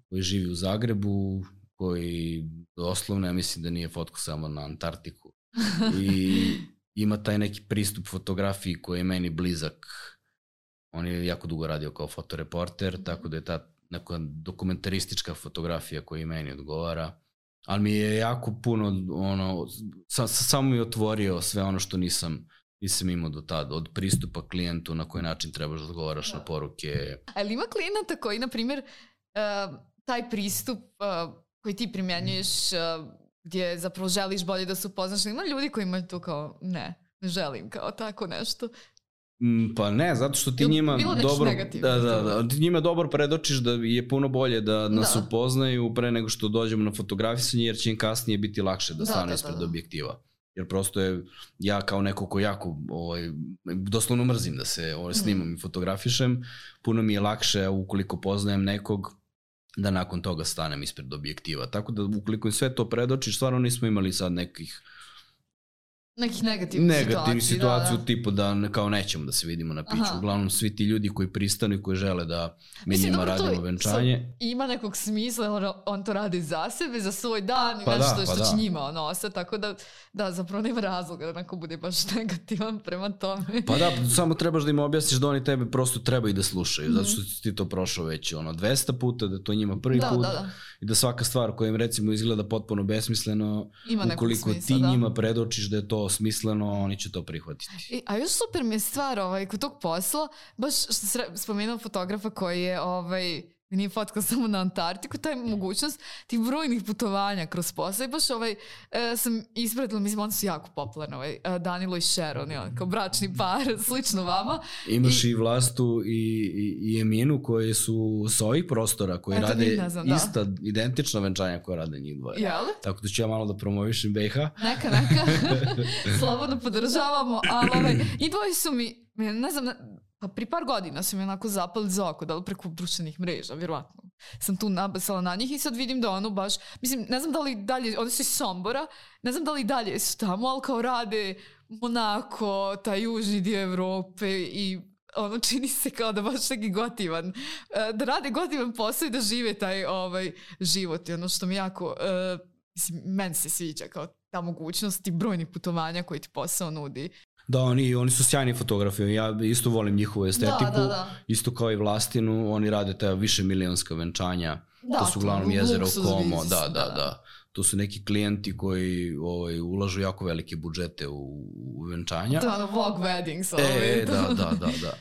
B: koji živi u Zagrebu, koji doslovno, ja mislim da nije fotko samo na Antarktiku. I ima taj neki pristup fotografiji koji je meni blizak. On je jako dugo radio kao fotoreporter, tako da je ta neka dokumentaristička fotografija koja meni odgovara. Ali mi je jako puno, ono, sa, samo mi je otvorio sve ono što nisam, nisam imao do tada, od pristupa klijentu, na koji način trebaš da odgovaraš da. na poruke.
A: Ali ima klijenata koji, na primjer, uh, taj pristup uh, koji ti primjenjuješ, uh, gdje zapravo želiš bolje da se upoznaš, ima ljudi koji imaju to kao, ne, ne želim kao tako nešto.
B: Pa ne, zato što ti njima dobro, da, da, da, ti njima dobro predočiš da je puno bolje da nas da. upoznaju pre nego što dođemo na fotografisanje, jer će im kasnije biti lakše da stane da, ispred da, da. objektiva. Jer prosto je, ja kao neko ko jako, ovaj, doslovno mrzim da se ovaj, snimam mm. i fotografišem, puno mi je lakše ukoliko poznajem nekog da nakon toga stanem ispred objektiva. Tako da ukoliko im sve to predočiš, stvarno nismo imali sad nekih
A: nekih negativnih
B: Negativnih
A: situaciju,
B: situaciju
A: da, da.
B: tipu da kao nećemo da se vidimo na piću. Aha. Uglavnom svi ti ljudi koji pristanu i koji žele da mi njima dobro, radimo venčanje.
A: Ima nekog smisla, on, on to radi za sebe, za svoj dan i pa nešto da, što pa će da. njima onose, tako da, da zapravo nema razloga da neko bude baš negativan prema tome.
B: Pa da, samo trebaš da im objasniš da oni tebe prosto treba i da slušaju, mm-hmm. zato što si ti to prošao već ono dvesta puta, da to njima prvi da, put da, da. i da svaka stvar koja im recimo izgleda potpuno besmisleno, ima ukoliko smisla, ti da. njima predočiš da je to smisleno, oni će to prihvatiti.
A: I, a još super mi je stvar ovaj, kod tog posla, baš što se spomenuo fotografa koji je ovaj, nije fotkao samo na Antarktiku, taj mogućnost tih brojnih putovanja kroz posao i baš ovaj, e, sam ispratila, mislim, oni su jako popularni, ovaj, Danilo i Sharon, on, kao bračni par, slično vama.
B: Imaš i, i Vlastu i, i, i Eminu koje su s ovih prostora, koji Eto, rade znam, ista, da. identična venčanja koja rade njih dvoje.
A: Jel?
B: Tako da ću ja malo da promovišem B iH.
A: Neka, neka. Slobodno podržavamo, ali ovaj, i dvoji su mi, ne znam, pa pri par godina su mi onako zapali za oko, da li preko društvenih mreža, vjerovatno. Sam tu nabasala na njih i sad vidim da ono baš, mislim, ne znam da li dalje, oni su iz Sombora, ne znam da li dalje su tamo, ali kao rade Monako, taj južni dio Evrope i ono čini se kao da baš neki gotivan, da rade gotivan posao i da žive taj ovaj, život. I ono što mi jako, uh, mislim, meni se sviđa kao ta mogućnost i brojnih putovanja koji ti posao nudi.
B: Da, oni, oni su sjajni fotografi, ja isto volim njihovu estetiku, da, da, da. isto kao i Vlastinu, oni rade ta više milionska venčanja, da, to su uglavnom jezero Como, da, da, da, to su neki klijenti koji ovaj, ulažu jako velike budžete u, u venčanja.
A: Da, vlog weddings.
B: Ovaj. E, da, da, da, da,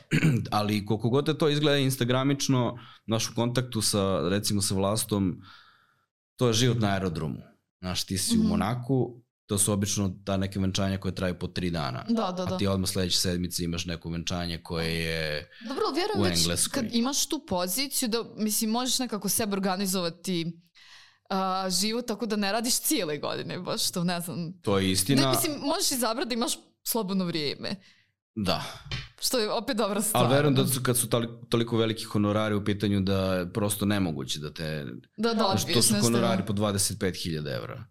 B: ali koliko god je to izgleda instagramično, naš u kontaktu sa, recimo sa Vlastom, to je život na aerodromu, znaš, ti si mm-hmm. u Monaku, to su obično ta neke venčanja koje traju po tri dana.
A: Da, da, da.
B: A ti odmah sledeće sedmice imaš neko venčanje koje je
A: Dobro, vjerujem u Engleskoj. Kad imaš tu poziciju da, mislim, možeš nekako sebe organizovati uh, život tako da ne radiš cijele godine, baš to ne znam.
B: To je istina.
A: Ne, mislim, možeš izabrati da imaš slobodno vrijeme.
B: Da.
A: Što je opet dobra stvar.
B: Ali verujem da su, kad su toliko veliki honorari u pitanju da je prosto nemoguće da te...
A: Da, da,
B: to su honorari po dvadeset pet hiljada evra.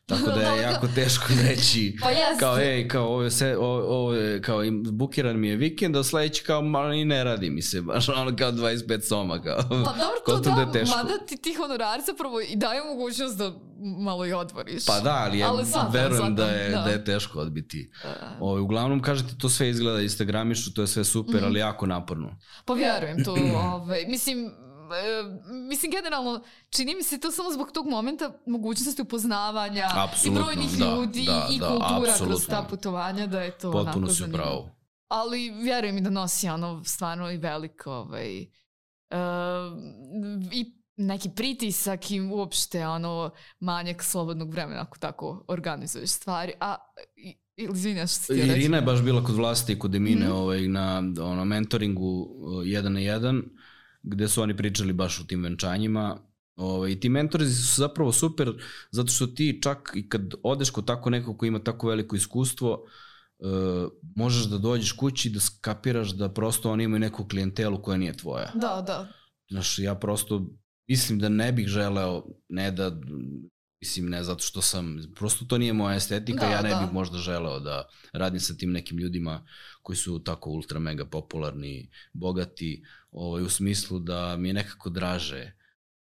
B: Tako da je jako teško reći
A: pa
B: kao ej, kao ovo se ovo je kao bukiran mi je vikend, a sledeći kao malo i ne radi mi se, baš ono kao dvadeset pet soma kao.
A: Pa dobro, to da, da mada ti ti honorari zapravo i daju mogućnost da malo i odvoriš.
B: Pa da, ali, ali ja verujem sam, da, je, da. da je teško odbiti. Ovo, uglavnom, kažete, to sve izgleda instagramišu, to je sve super, mm. ali jako naporno.
A: Pa vjerujem to, ovaj, mislim, mislim generalno čini mi se to samo zbog tog momenta mogućnosti upoznavanja
B: apsolutno,
A: i brojnih
B: da,
A: ljudi
B: da,
A: i
B: da,
A: kultura
B: apsolutno. Kroz
A: ta putovanja da je to
B: potpuno
A: onako
B: si
A: zanimljivo.
B: Pravo.
A: Ali vjerujem mi da nosi ono stvarno i veliko ovaj, uh, i neki pritisak i uopšte ono manjak slobodnog vremena ako tako organizuješ stvari. A izvinjaš što ti reći.
B: Irina je baš bila kod Vlasti i kod Emine mm. ovaj, na ono, mentoringu jedan na jedan gde su oni pričali baš o tim venčanjima. Ove, I ti mentori su zapravo super, zato što ti čak i kad odeš kod tako nekog ko ima tako veliko iskustvo, uh, možeš da dođeš kući da skapiraš da prosto oni imaju neku klijentelu koja nije tvoja.
A: Da, da.
B: Znaš, ja prosto mislim da ne bih želeo, ne da, mislim ne zato što sam, prosto to nije moja estetika, da, ja ne da. bih možda želeo da radim sa tim nekim ljudima koji su tako ultra mega popularni, bogati, ovaj, u smislu da mi je nekako draže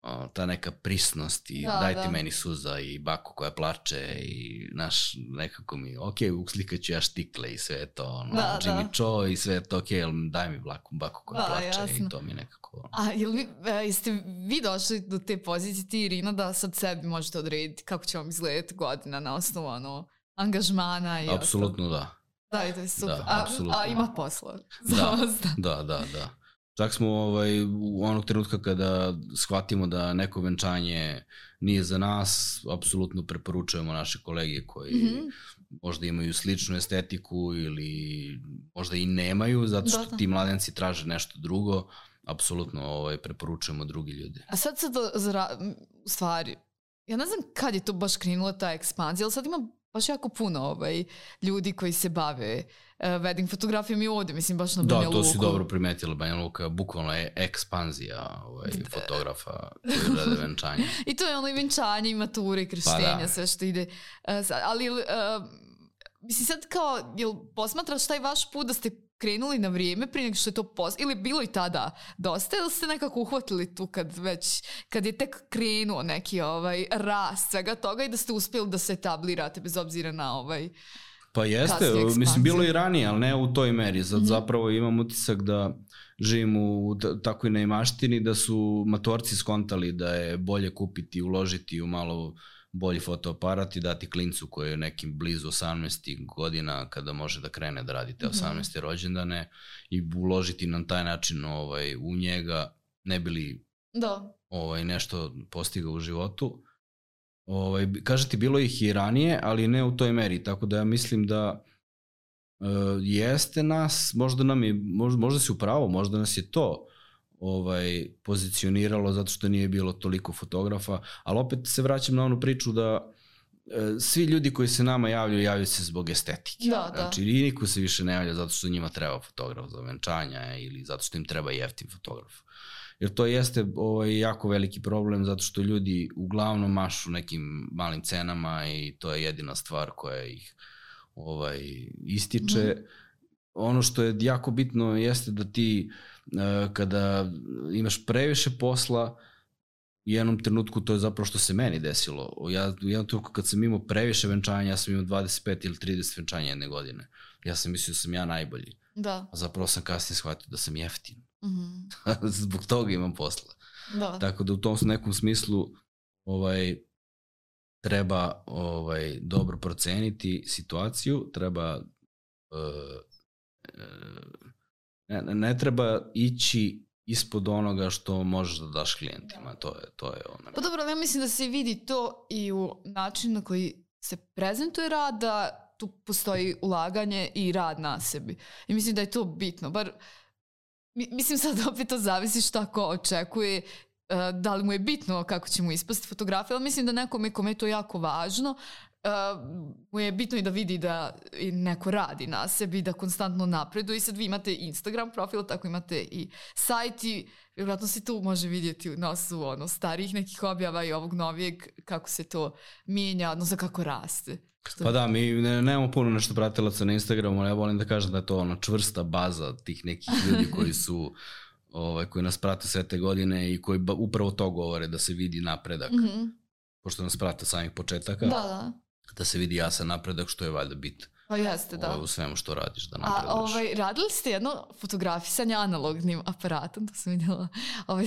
B: o, ta neka prisnost i da, dajte da. meni suza i baku koja plače i naš nekako mi, ok, uslikaću ja štikle i sve to, ono, da, Jimmy da. Cho i sve to, ok, ali daj mi baku, baku koja da, plače jasno. I to mi nekako...
A: A jel vi, e, jeste vi došli do te pozicije, ti Irina, da sad sebi možete odrediti kako će vam izgledati godina na osnovu ono, angažmana i
B: apsolutno da.
A: Da, i to je super.
B: Da,
A: a, a ima posla.
B: Da, da, da, da. Čak smo ovaj, u onog trenutka kada shvatimo da neko venčanje nije za nas, apsolutno preporučujemo naše kolege koji mm-hmm. možda imaju sličnu estetiku ili možda i nemaju, zato što da, da. ti mladenci traže nešto drugo, apsolutno ovaj, preporučujemo drugi ljudi.
A: A sad sad, zra, u stvari, ja ne znam kad je to baš krenula ta ekspanzija, ali sad ima baš jako puno ovaj, ljudi koji se bave uh, wedding fotografijom i ovde, mislim, baš na Banja Luku.
B: Da, to si dobro primetila, Banja Luka, bukvalno je ekspanzija ovaj, fotografa koji rade venčanje.
A: I to je ono i venčanje, i mature, i krštenja, pa da. sve što ide. Uh, sad, ali, uh, mislim, sad kao, jel posmatraš taj vaš put da ste krenuli na vrijeme prije nego što je to post... ili bilo i tada dosta, ili ste nekako uhvatili tu kad već, kad je tek krenuo neki ovaj rast svega toga i da ste uspjeli da se etablirate bez obzira na ovaj
B: pa jeste, mislim bilo i ranije, ali ne u toj meri. Sad mm-hmm. zapravo imam utisak da živim u takvoj neimaštini, da su matorci skontali da je bolje kupiti i uložiti u malo bolji fotoaparat i dati klincu koji je nekim blizu osamnaest godina kada može da krene da radi te osamnaeste rođendane i uložiti na taj način ovaj, u njega, ne bi li
A: da.
B: ovaj, nešto postigao u životu. Ovaj, kažete, bilo ih i ranije, ali ne u toj meri, tako da ja mislim da uh, jeste nas, možda nam je, možda, možda si upravo, možda nas je to ovaj, pozicioniralo zato što nije bilo toliko fotografa, ali opet se vraćam na onu priču da e, svi ljudi koji se nama javljaju, javljaju se zbog estetike.
A: Da, da.
B: Znači, i niko se više ne javlja zato što njima treba fotograf za venčanja ili zato što im treba jeftin fotograf. Jer to jeste ovaj, jako veliki problem zato što ljudi uglavnom mašu nekim malim cenama i to je jedina stvar koja ih ovaj, ističe. Mm. Ono što je jako bitno jeste da ti kada imaš previše posla, u jednom trenutku, to je zapravo što se meni desilo. Ja, u jednom trenutku kad sam imao previše venčanja, ja sam imao dvadeset pet ili trideset venčanja jedne godine. Ja sam mislio da sam ja najbolji.
A: Da.
B: A zapravo sam kasnije shvatio da sam jeftin.
A: Mm-hmm.
B: Zbog toga imam posla.
A: Da.
B: Tako da u tom nekom smislu ovaj, treba ovaj, dobro proceniti situaciju, treba uh, uh, Ne, ne treba ići ispod onoga što možeš da daš klijentima, to je, to je ono.
A: Pa dobro, ja mislim da se vidi to i u načinu na koji se prezentuje rad, da tu postoji ulaganje i rad na sebi. I mislim da je to bitno, bar, mislim sad opet to zavisi šta ko očekuje, da li mu je bitno kako će mu ispasti fotografija, ali mislim da nekome kome je to jako važno, Uh, mu je bitno i da vidi da neko radi na sebi, da konstantno napreduje. I sad vi imate Instagram profil, tako imate i sajt i vjerojatno se tu može vidjeti u nosu ono, starijih nekih objava i ovog novijeg kako se to mijenja, odnosno kako raste. Što...
B: Pa da, mi ne, nemamo puno nešto pratilaca na Instagramu, ali ja volim da kažem da je to ono čvrsta baza tih nekih ljudi koji su ovaj, koji nas prate sve te godine i koji ba, upravo to govore, da se vidi napredak.
A: Mm-hmm.
B: Pošto nas prate samih početaka.
A: Da, da.
B: Da se vidi jasan napredak, što je valjda bit.
A: Pa jeste, da.
B: U svemu što radiš, da napreduješ.
A: A ovaj, radili ste jedno fotografisanje analognim aparatom, to sam vidjela, ovaj,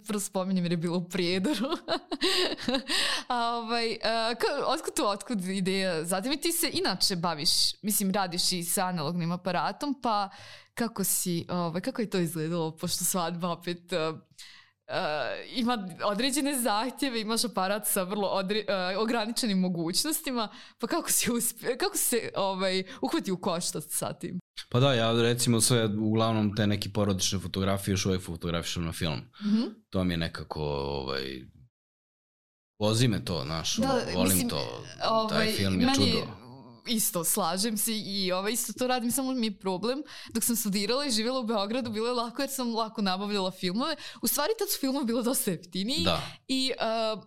A: prvo spominjem jer je bilo u Prijedoru. A ovaj, ka, otkud tu, otkud ideja? Zatim i ti se inače baviš, mislim, radiš i sa analognim aparatom, pa kako si, ovaj, kako je to izgledalo, pošto svadba opet... Uh, ima određene zahtjeve, imaš aparat sa vrlo odre, uh, ograničenim mogućnostima, pa kako si uspio, kako si se ovaj, uhvati u koštac sa tim?
B: Pa da, ja recimo sve, uglavnom te neke porodične fotografije još uvijek fotografišem na film.
A: Mm-hmm.
B: To mi je nekako, ovaj, vozi me to, znaš, da, volim mislim, to, ovaj, taj film je čudo.
A: Isto, slažem se i ovaj, isto to radim, samo mi je problem. Dok sam studirala i živjela u Beogradu, bilo je lako jer sam lako nabavljala filmove. U stvari tad su filmovi bilo dosta jeftiniji i uh,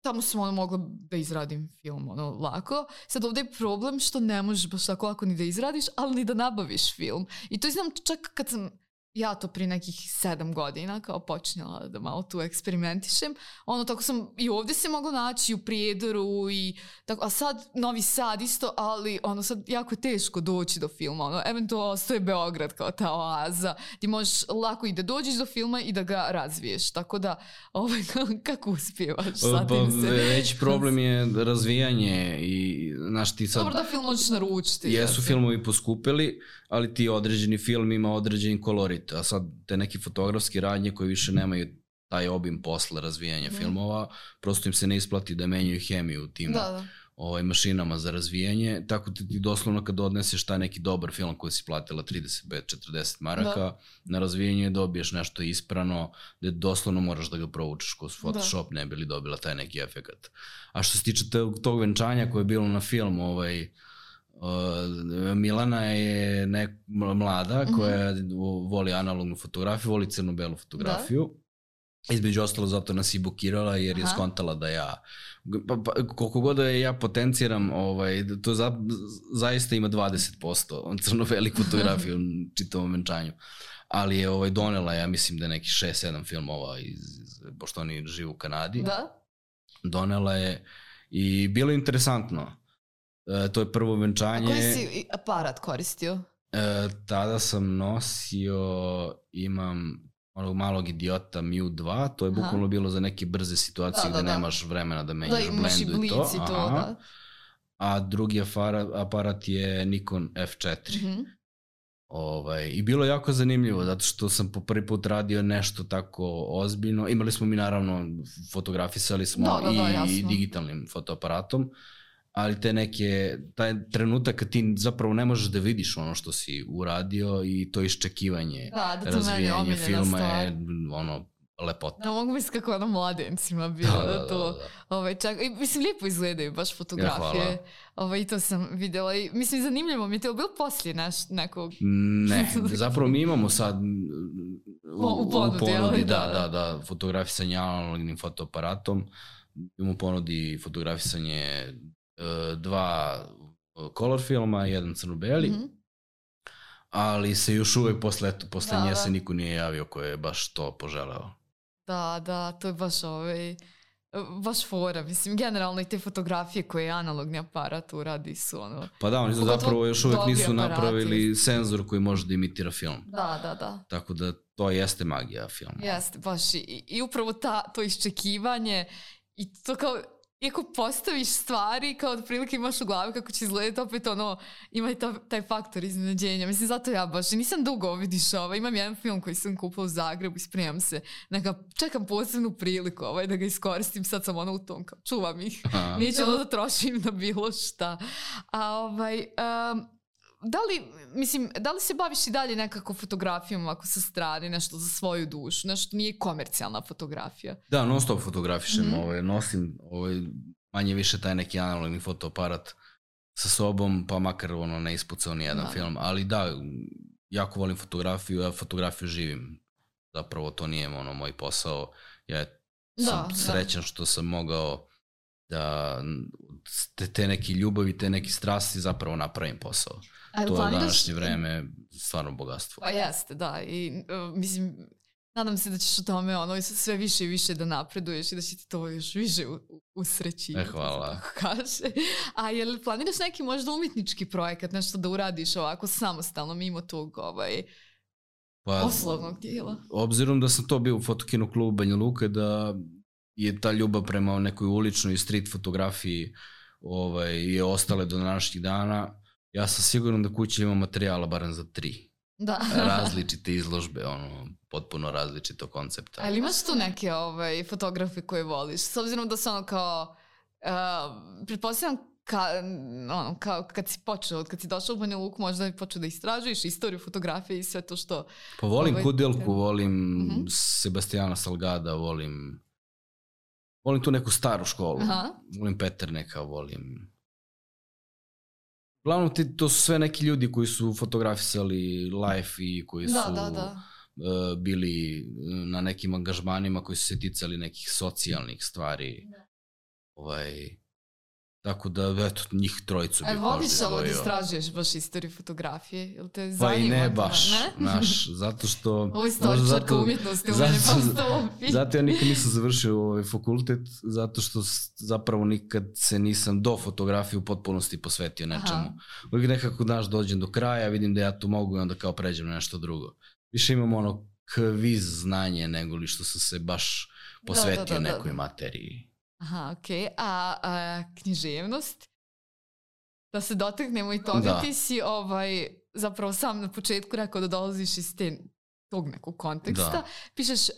A: tamo sam ono mogla da izradim film ono lako. Sad ovdje je problem što ne možeš baš tako lako ni da izradiš, ali ni da nabaviš film. I to znam čak kad sam ja to prije nekih sedam godina kao počinjala da malo tu eksperimentišem. Ono, tako sam i ovdje se mogla naći u Prijedoru i tako, a sad Novi Sad isto, ali ono sad jako je teško doći do filma. Ono, eventualno ostaje Beograd kao ta oaza. Ti možeš lako i da dođeš do filma i da ga razviješ. Tako da, ovaj, kako uspijevaš sad
B: pa,
A: im se...
B: Već problem je razvijanje i znaš ti sad...
A: Dobro da film možeš naručiti.
B: Jesu
A: ja
B: filmovi poskupili, ali ti određeni film ima određeni kolorit. slikovit, a sad te neki fotografski radnje koji više nemaju taj obim posla razvijanja mm. filmova, prosto im se ne isplati da menjaju hemiju u tim da, da. Ovaj, mašinama za razvijanje, tako ti, ti doslovno kad odneseš taj neki dobar film koji si platila trideset pet četrdeset maraka, da. Na razvijenje dobiješ nešto isprano, gde doslovno moraš da ga provučeš kroz Photoshop, da. Ne bi li dobila taj neki efekat. A što se tiče tog venčanja koje je bilo na filmu, ovaj, uh, Milana je nek, mlada koja mm-hmm. voli analognu fotografiju, voli crno-belu fotografiju. Da. Između ostalo zato nas i bukirala jer je Aha. skontala da ja, pa, pa, koliko god da ja potenciram, ovaj, to za, zaista ima dvadeset posto crno-beli fotografiju u čitavom venčanju. Ali je ovaj, donela, ja mislim da je neki šest sedam filmova, iz, iz, pošto oni žive u Kanadi.
A: Da?
B: Donela je i bilo je interesantno. E, to je prvo venčanje.
A: A koji si aparat koristio?
B: E, tada sam nosio, imam... onog malog idiota M U dva, to je bukvalno bilo za neke brze situacije da, da, gde da. Nemaš vremena da menjaš da, blendu i to. I to da. A drugi aparat, aparat je Nikon F četiri. Mm-hmm. Ovaj, I bilo je jako zanimljivo, zato što sam po prvi put radio nešto tako ozbiljno. Imali smo mi naravno, fotografisali smo da, da, da, i digitalnim fotoaparatom, ali te neke, taj trenutak kad ti zapravo ne možeš da vidiš ono što si uradio i to iščekivanje, da, da razvijanje filma je ono, lepota.
A: Da, mogu misliti kako ono mladencima bilo da, da, da to, da, da. Ovaj, čak, i, mislim, lijepo izgledaju baš fotografije, ja, ovaj, i to sam vidjela i mislim, zanimljivo mi je to bilo poslije naš, nekog...
B: Ne, zapravo mi imamo sad u, u ponudi, u ponudi da, da, da, da, fotografisanje analognim fotoaparatom, imamo u ponudi fotografisanje dva color filma, jedan crno-beli, mm-hmm. ali se još uvek posle, posle da, nje da. Se niko nije javio ko je baš to poželeo.
A: Da, da, to je baš ovaj, baš fora, mislim, generalno i te fotografije koje analogni aparat uradi su ono...
B: Pa da, oni zapravo još uvek nisu aparati. Napravili senzor koji može da imitira film.
A: Da, da, da.
B: Tako da to jeste magija filma.
A: Jeste, baš i, i upravo ta, to iščekivanje i to kao... Iako postaviš stvari, kao otprilike imaš u glavi kako će izgledati, opet ono, ima i ta, taj faktor iznenađenja. Mislim, zato ja baš, nisam dugo vidiš ovo, imam jedan film koji sam kupila u Zagrebu i spremam se, neka, čekam posebnu priliku ovaj, da ga iskoristim, sad sam ono u tom, kao, čuvam ih, neću ono da trošim na bilo šta. A ovaj... Um, Da li, mislim, da li se baviš i dalje nekako fotografijom ako sa strane, nešto za svoju dušu, nešto nije komercijalna fotografija?
B: Da, non stop fotografišem, mm-hmm. ovaj, nosim ovaj, manje više taj neki analogni fotoaparat sa sobom, pa makar ono ne ispucao ni jedan da. Film, ali da, jako volim fotografiju, ja fotografiju živim, zapravo to nije ono moj posao, ja sam da, srećan da. Što sam mogao da te, te neke ljubavi, te neke strasti zapravo napravim posao. A to je današnje vreme stvarno bogatstvo.
A: Pa jeste, da. I uh, mislim, nadam se da ćeš o tome ono, sve više i više da napreduješ i da će ti to još više usreći.
B: E, hvala.
A: Kaže. A je li planiraš neki možda umjetnički projekat, nešto da uradiš ovako samostalno mimo tog ovaj, pa, poslovnog dijela?
B: Obzirom da sam to bio u fotokinu klubu Banja Luka, da je ta ljubav prema nekoj uličnoj street fotografiji ovaj, je ostale do današnjih dana. Ja sam siguran da kuća ima materijala barem za tri.
A: Da.
B: Različite izložbe, ono, potpuno različito koncepta.
A: Ali imaš tu neke ovaj, fotografe koje voliš? S obzirom da su ono kao, uh, pretpostavljam ka, ono, kao kad si počeo, kad si došao u Banja Luku, možda bi počeo da istražuješ istoriju fotografije i sve to što...
B: Pa volim ovaj, Kudelku, volim uh-huh. Sebastijana Salgada, volim... Volim tu neku staru školu. Aha. Volim Peterneka, volim... Uglavnom, ti, to su sve neki ljudi koji su fotografisali life i koji su
A: da, da, da.
B: Uh, bili na nekim angažmanima koji su se ticali nekih socijalnih stvari. Da. Ovaj, tako da, eto, njih trojicu bih možda
A: izdvojio. Voliš ovo da istražuješ baš istoriju fotografije? Jel te zanima?
B: Pa i ne baš, ne? Naš, zato što...
A: Ovo je istoričarka umjetnosti, u mene pa sto
B: Zato ja nikad nisam završio ovaj fakultet, zato što zapravo nikad se nisam do fotografije u potpunosti posvetio nečemu. Uvijek nekako, znaš, dođem do kraja, vidim da ja tu mogu i onda kao pređem na nešto drugo. Više imam ono kviz znanje nego li što sam se baš posvetio da, da, da, da. nekoj materiji.
A: Aha, okej. Okay. A, a književnost? Da se dotaknemo i toga. Da. Ti si ovaj, zapravo sam na početku rekao da dolaziš iz te tog nekog konteksta.
B: Da.
A: Pišeš uh,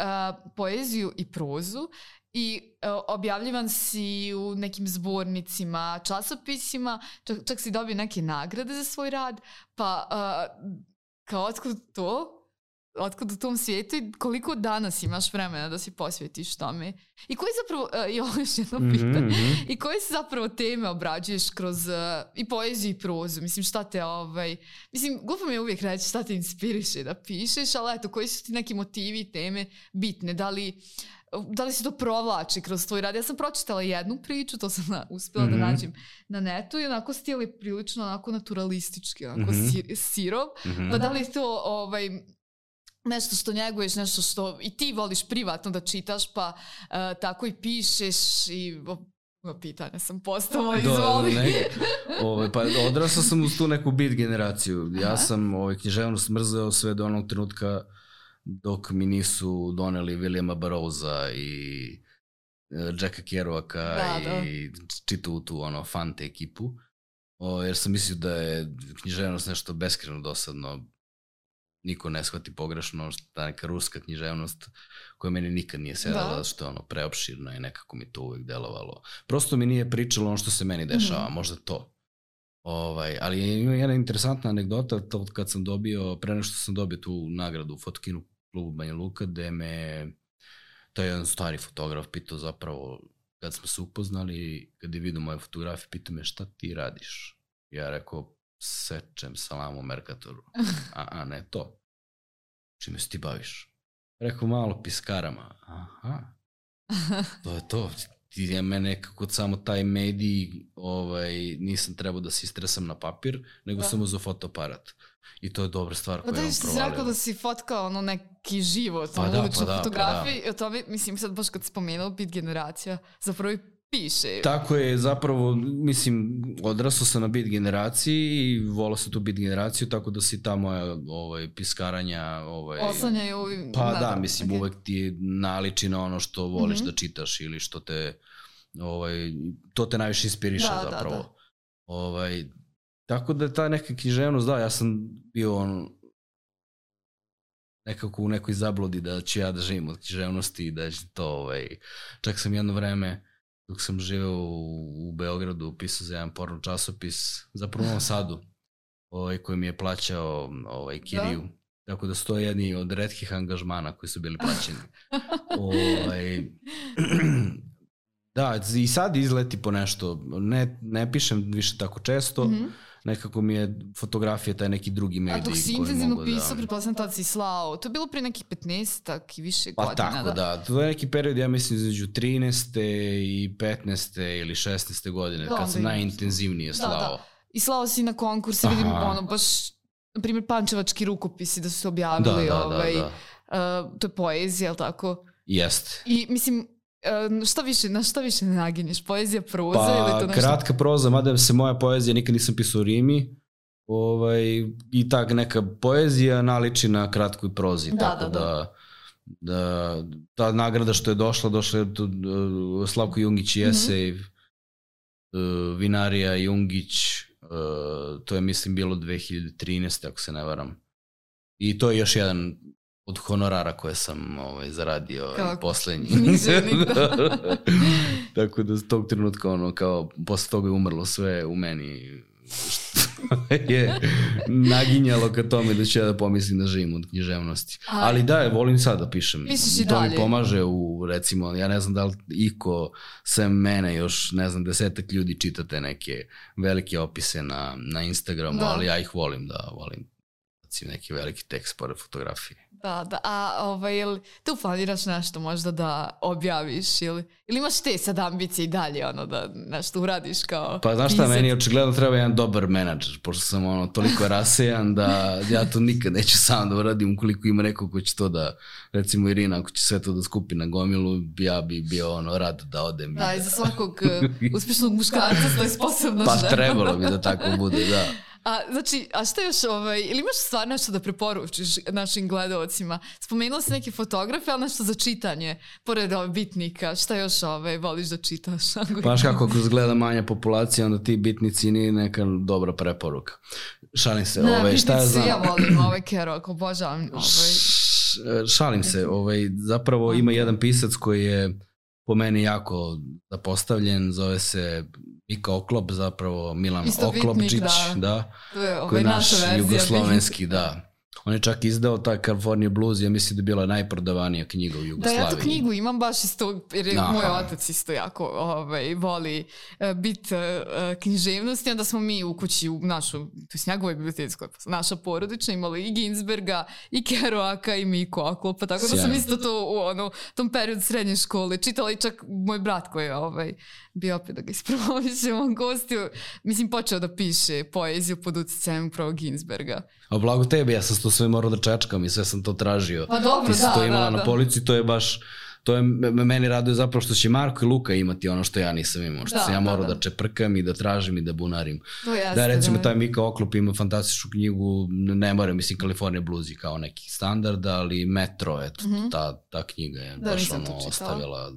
A: poeziju i prozu i uh, objavljivan si u nekim zbornicima, časopisima, čak, čak si dobio neke nagrade za svoj rad, pa uh, kao otkud to? Otkud u tom svijetu i koliko danas imaš vremena da se posvetiš tome? I koji zapravo, uh, i ovo još jedno pitanje, mm-hmm. i koje se zapravo teme obrađuješ kroz uh, i poeziju i prozu? Mislim, šta te, ovaj, mislim, glupo mi je uvijek reći šta te inspiriše da pišeš, ali eto, koji su ti neki motivi i teme bitne? Da li, da li se to provlači kroz tvoj rad? Ja sam pročitala jednu priču, to sam na, uspjela mm-hmm. da nađem na netu i onako stil je prilično onako naturalistički, onako mm-hmm. sir, sirov, mm-hmm. pa da li to, ovaj, nešto što njeguješ, nešto što i ti voliš privatno da čitaš, pa uh, tako i pišeš i o, pitanje sam postala, izvoli.
B: Ove, pa odrasao sam uz tu neku beat generaciju. Ja Aha. sam ovaj, književnost mrzeo sve do onog trenutka dok mi nisu doneli Williama Burroughsa i uh, Jacka Kerouaka da, i da. čitao tu ono, Fante ekipu. O, jer sam mislio da je književnost nešto beskreno dosadno. Niko ne shvati pogrešno, ta neka ruska književnost koja meni nikad nije sedala, da. što je ono preopširno i nekako mi to uvijek delovalo. Prosto mi nije pričalo ono što se meni dešava, mm-hmm. možda to. Ovaj, ali ima jedna interesantna anegdota, to kad sam dobio, pre nešto sam dobio tu nagradu u Fotokinu klubu Banja Luka, gde me taj jedan stari fotograf pitao zapravo, kad smo se upoznali, kad je vidio moje fotografije, pitao me šta ti radiš? Ja rekao, sečem salamu u Merkatoru. A, a ne to. Čime se ti baviš? Rekao, malo piskarama. Aha. To je to. Ja mene nekako samo taj medij, ovaj, nisam trebao da se istresam na papir, nego da. sam uzeo fotoaparat. I to je dobra stvar koja je on provalio. Da, ti si rekao
A: da si fotkao ono neki život, pa ono uličnu pa fotografiju. Pa da. To bi, mislim, sad baš kad spomenuo bit generacija, zapravo i piše.
B: Tako je, zapravo, mislim, odrasao sam na beat generaciji i volao sam tu beat generaciju, tako da si ta moja ovaj, piskaranja... Ovaj,
A: oslanjaju...
B: Pa da, da mislim, okay. uvek ti naliči na ono što voliš mm-hmm. da čitaš ili što te... Ovaj, to te najviše inspiriše da, zapravo. Da, da. Ovaj, tako da ta neka književnost, da, ja sam bio on, nekako u nekoj zabludi da ću ja da živim od književnosti i da će to... Ovaj, čak sam jedno vreme... Dok sam živeo u, u Beogradu, pisao za jedan porno časopis, zapravo u Novom Sadu, ovaj, koji mi je plaćao ovaj, kiriju. Da. Tako da su to jedni od retkih angažmana koji su bili plaćeni. ovaj, da, i sad izleti po nešto. Ne, ne pišem više tako često. Mm-hmm. Nekako mi je fotografija taj neki drugi medij.
A: A dok si intenzivno pisao, da... pretpostavljam tad si slao. To je bilo pre nekih petnaestak i više pa godina.
B: Pa tako, da. da. To je neki period, ja mislim, između trinaeste i petnaeste ili šesnaeste godine, da, kad sam najintenzivnije slao. Da, da.
A: I slao si na konkurse, vidim, ono, baš, na primjer, pančevački rukopisi da su se objavili. Da, da, ovaj, da, da. Uh, to je poezija, ali tako?
B: Jeste.
A: I, mislim... Šta više, na šta više ne naginješ? Poezija, proza
B: pa,
A: ili to nešto?
B: Kratka proza, mada se moja poezija nikad nisam pisao u rimi. Ovaj, I tak neka poezija naliči na kratkoj prozi. Da, tako da, da. Da, da ta nagrada što je došla, došla je to, uh, Slavko Jungić i esej, mm-hmm. uh, Vinarija Jungić, uh, to je mislim bilo dve hiljade trinaeste ako se ne varam. I to je još jedan od honorara koje sam ovaj, zaradio i poslednji. Tako da s tog trenutka ono, kao, posle toga je umrlo sve u meni što je naginjalo ka tome da ću ja da pomislim da živim od književnosti. Aj. Ali da, volim sad da pišem.
A: Pišeš
B: to
A: dalje.
B: Mi pomaže u, recimo, ja ne znam da li iko sem mene još, ne znam, desetak ljudi čitate neke velike opise na, na Instagramu, da. Ali ja ih volim da volim neki veliki tekst pored fotografije.
A: Da, da, a ovaj, jel tu planiraš nešto možda da objaviš ili, ili imaš te sad ambicije i dalje ono da nešto uradiš kao
B: pa znaš šta, meni očigledno treba jedan dobar menadžer, pošto sam ono toliko rasejan da ja to nikad neću sam da uradim ukoliko ima neko ko će to da, recimo Irina, ako će sve to da skupi na gomilu, ja bi bio ono rad da odem.
A: Da, i za svakog uspješnog muškarca stoji sposobna
B: pa
A: žena.
B: Pa trebalo bi da tako bude, da.
A: A, znači, a šta još, ovaj, ili imaš stvar nešto da preporučiš našim gledalcima? Spomenula si neke fotografe, ali nešto za čitanje, pored ovaj, bitnika, šta još ovaj, voliš da čitaš?
B: Paš kako kroz gleda manja populacija, onda ti bitnici nije neka dobra preporuka. Šalim se,
A: ne,
B: ovaj, šta ja znam?
A: Ja volim ovaj Kerouac, obožavam ovaj...
B: šalim se, ovaj, zapravo ima jedan pisac koji je po meni jako zapostavljen, zove se Mika Oklop, zapravo Milan Oklopčić, da, da,
A: ovaj,
B: koji je naš jugoslovenski, da. On je čak izdao taj California Blues, ja mislim da je bila najprodavanija knjiga u Jugoslaviji.
A: Da, ja tu knjigu imam baš isto, jer je moj otac isto jako ovaj, voli uh, bit uh, književnosti, onda smo mi u kući u našu, to je njegovoj biblioteci, naša porodična, imali i Ginsberga, i Kerouaka, i Miku Oklopa, tako da sam isto to u ono, tom periodu srednje škole čitala i čak moj brat koji je ovaj, bio opet da ga ispromovićemo gostio, mislim počeo da piše poeziju pod utjecajem upravo Ginsberga.
B: A blago tebi, ja sam to sve morao da čečkam i sve sam to tražio.
A: Pa dobro,
B: ti si
A: da,
B: to imala
A: da,
B: na
A: da.
B: polici, to je baš, to je, meni raduje zapravo što će Marko i Luka imati ono što ja nisam imao, što
A: da,
B: sam ja morao da,
A: da.
B: da čeprkam i da tražim i da bunarim.
A: Jeste,
B: da, recimo,
A: da.
B: taj Mika Oklop ima fantastičnu knjigu, ne moram, mislim, California Blues je kao neki standard, ali Metro, eto, mm-hmm. ta, ta knjiga je da, baš ono ostavila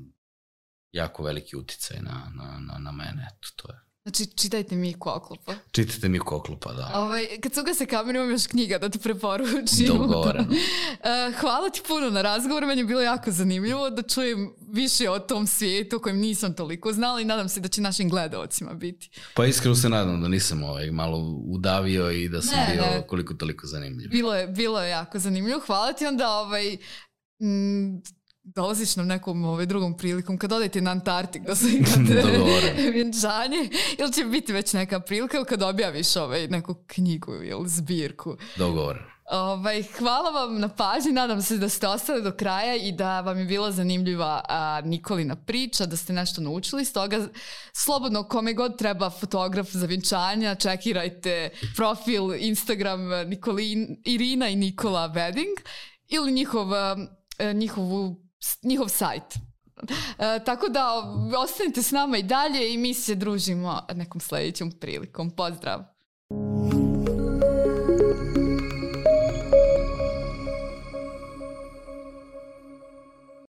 B: jako veliki uticaj na, na, na, na mene, eto, to je.
A: Znači, čitajte Miku Oklopa.
B: Čitajte Miku Oklopa, da.
A: Ovaj, kad su ga se kameru, imam još knjiga da ti preporučim.
B: Dogovoreno.
A: uh, hvala ti puno na razgovoru, meni je bilo jako zanimljivo da čujem više o tom svijetu o kojem nisam toliko znala i nadam se da će našim gledalcima biti.
B: Pa iskreno se nadam da nisam ovaj, malo udavio i da sam ne, bio ne. koliko toliko zanimljiv.
A: Bilo je, bilo je jako zanimljivo. Hvala ti onda ovaj... Mm, dolaziš nam nekom ovaj, drugom prilikom kad odete na Antarktik da se imate vjenčanje ili će biti već neka prilika ili kad objaviš ovaj, neku knjigu ili zbirku.
B: Dogovor.
A: Ovaj, hvala vam na pažnji, nadam se da ste ostali do kraja i da vam je bila zanimljiva a, Nikolina priča, da ste nešto naučili, stoga slobodno kome god treba fotograf za vjenčanja, čekirajte profil Instagram Nikolin, Irina i Nikola Wedding ili njihov, njihovu njihov sajt. E, tako da ostanite s nama i dalje i mi se družimo nekom sljedećom prilikom. Pozdrav!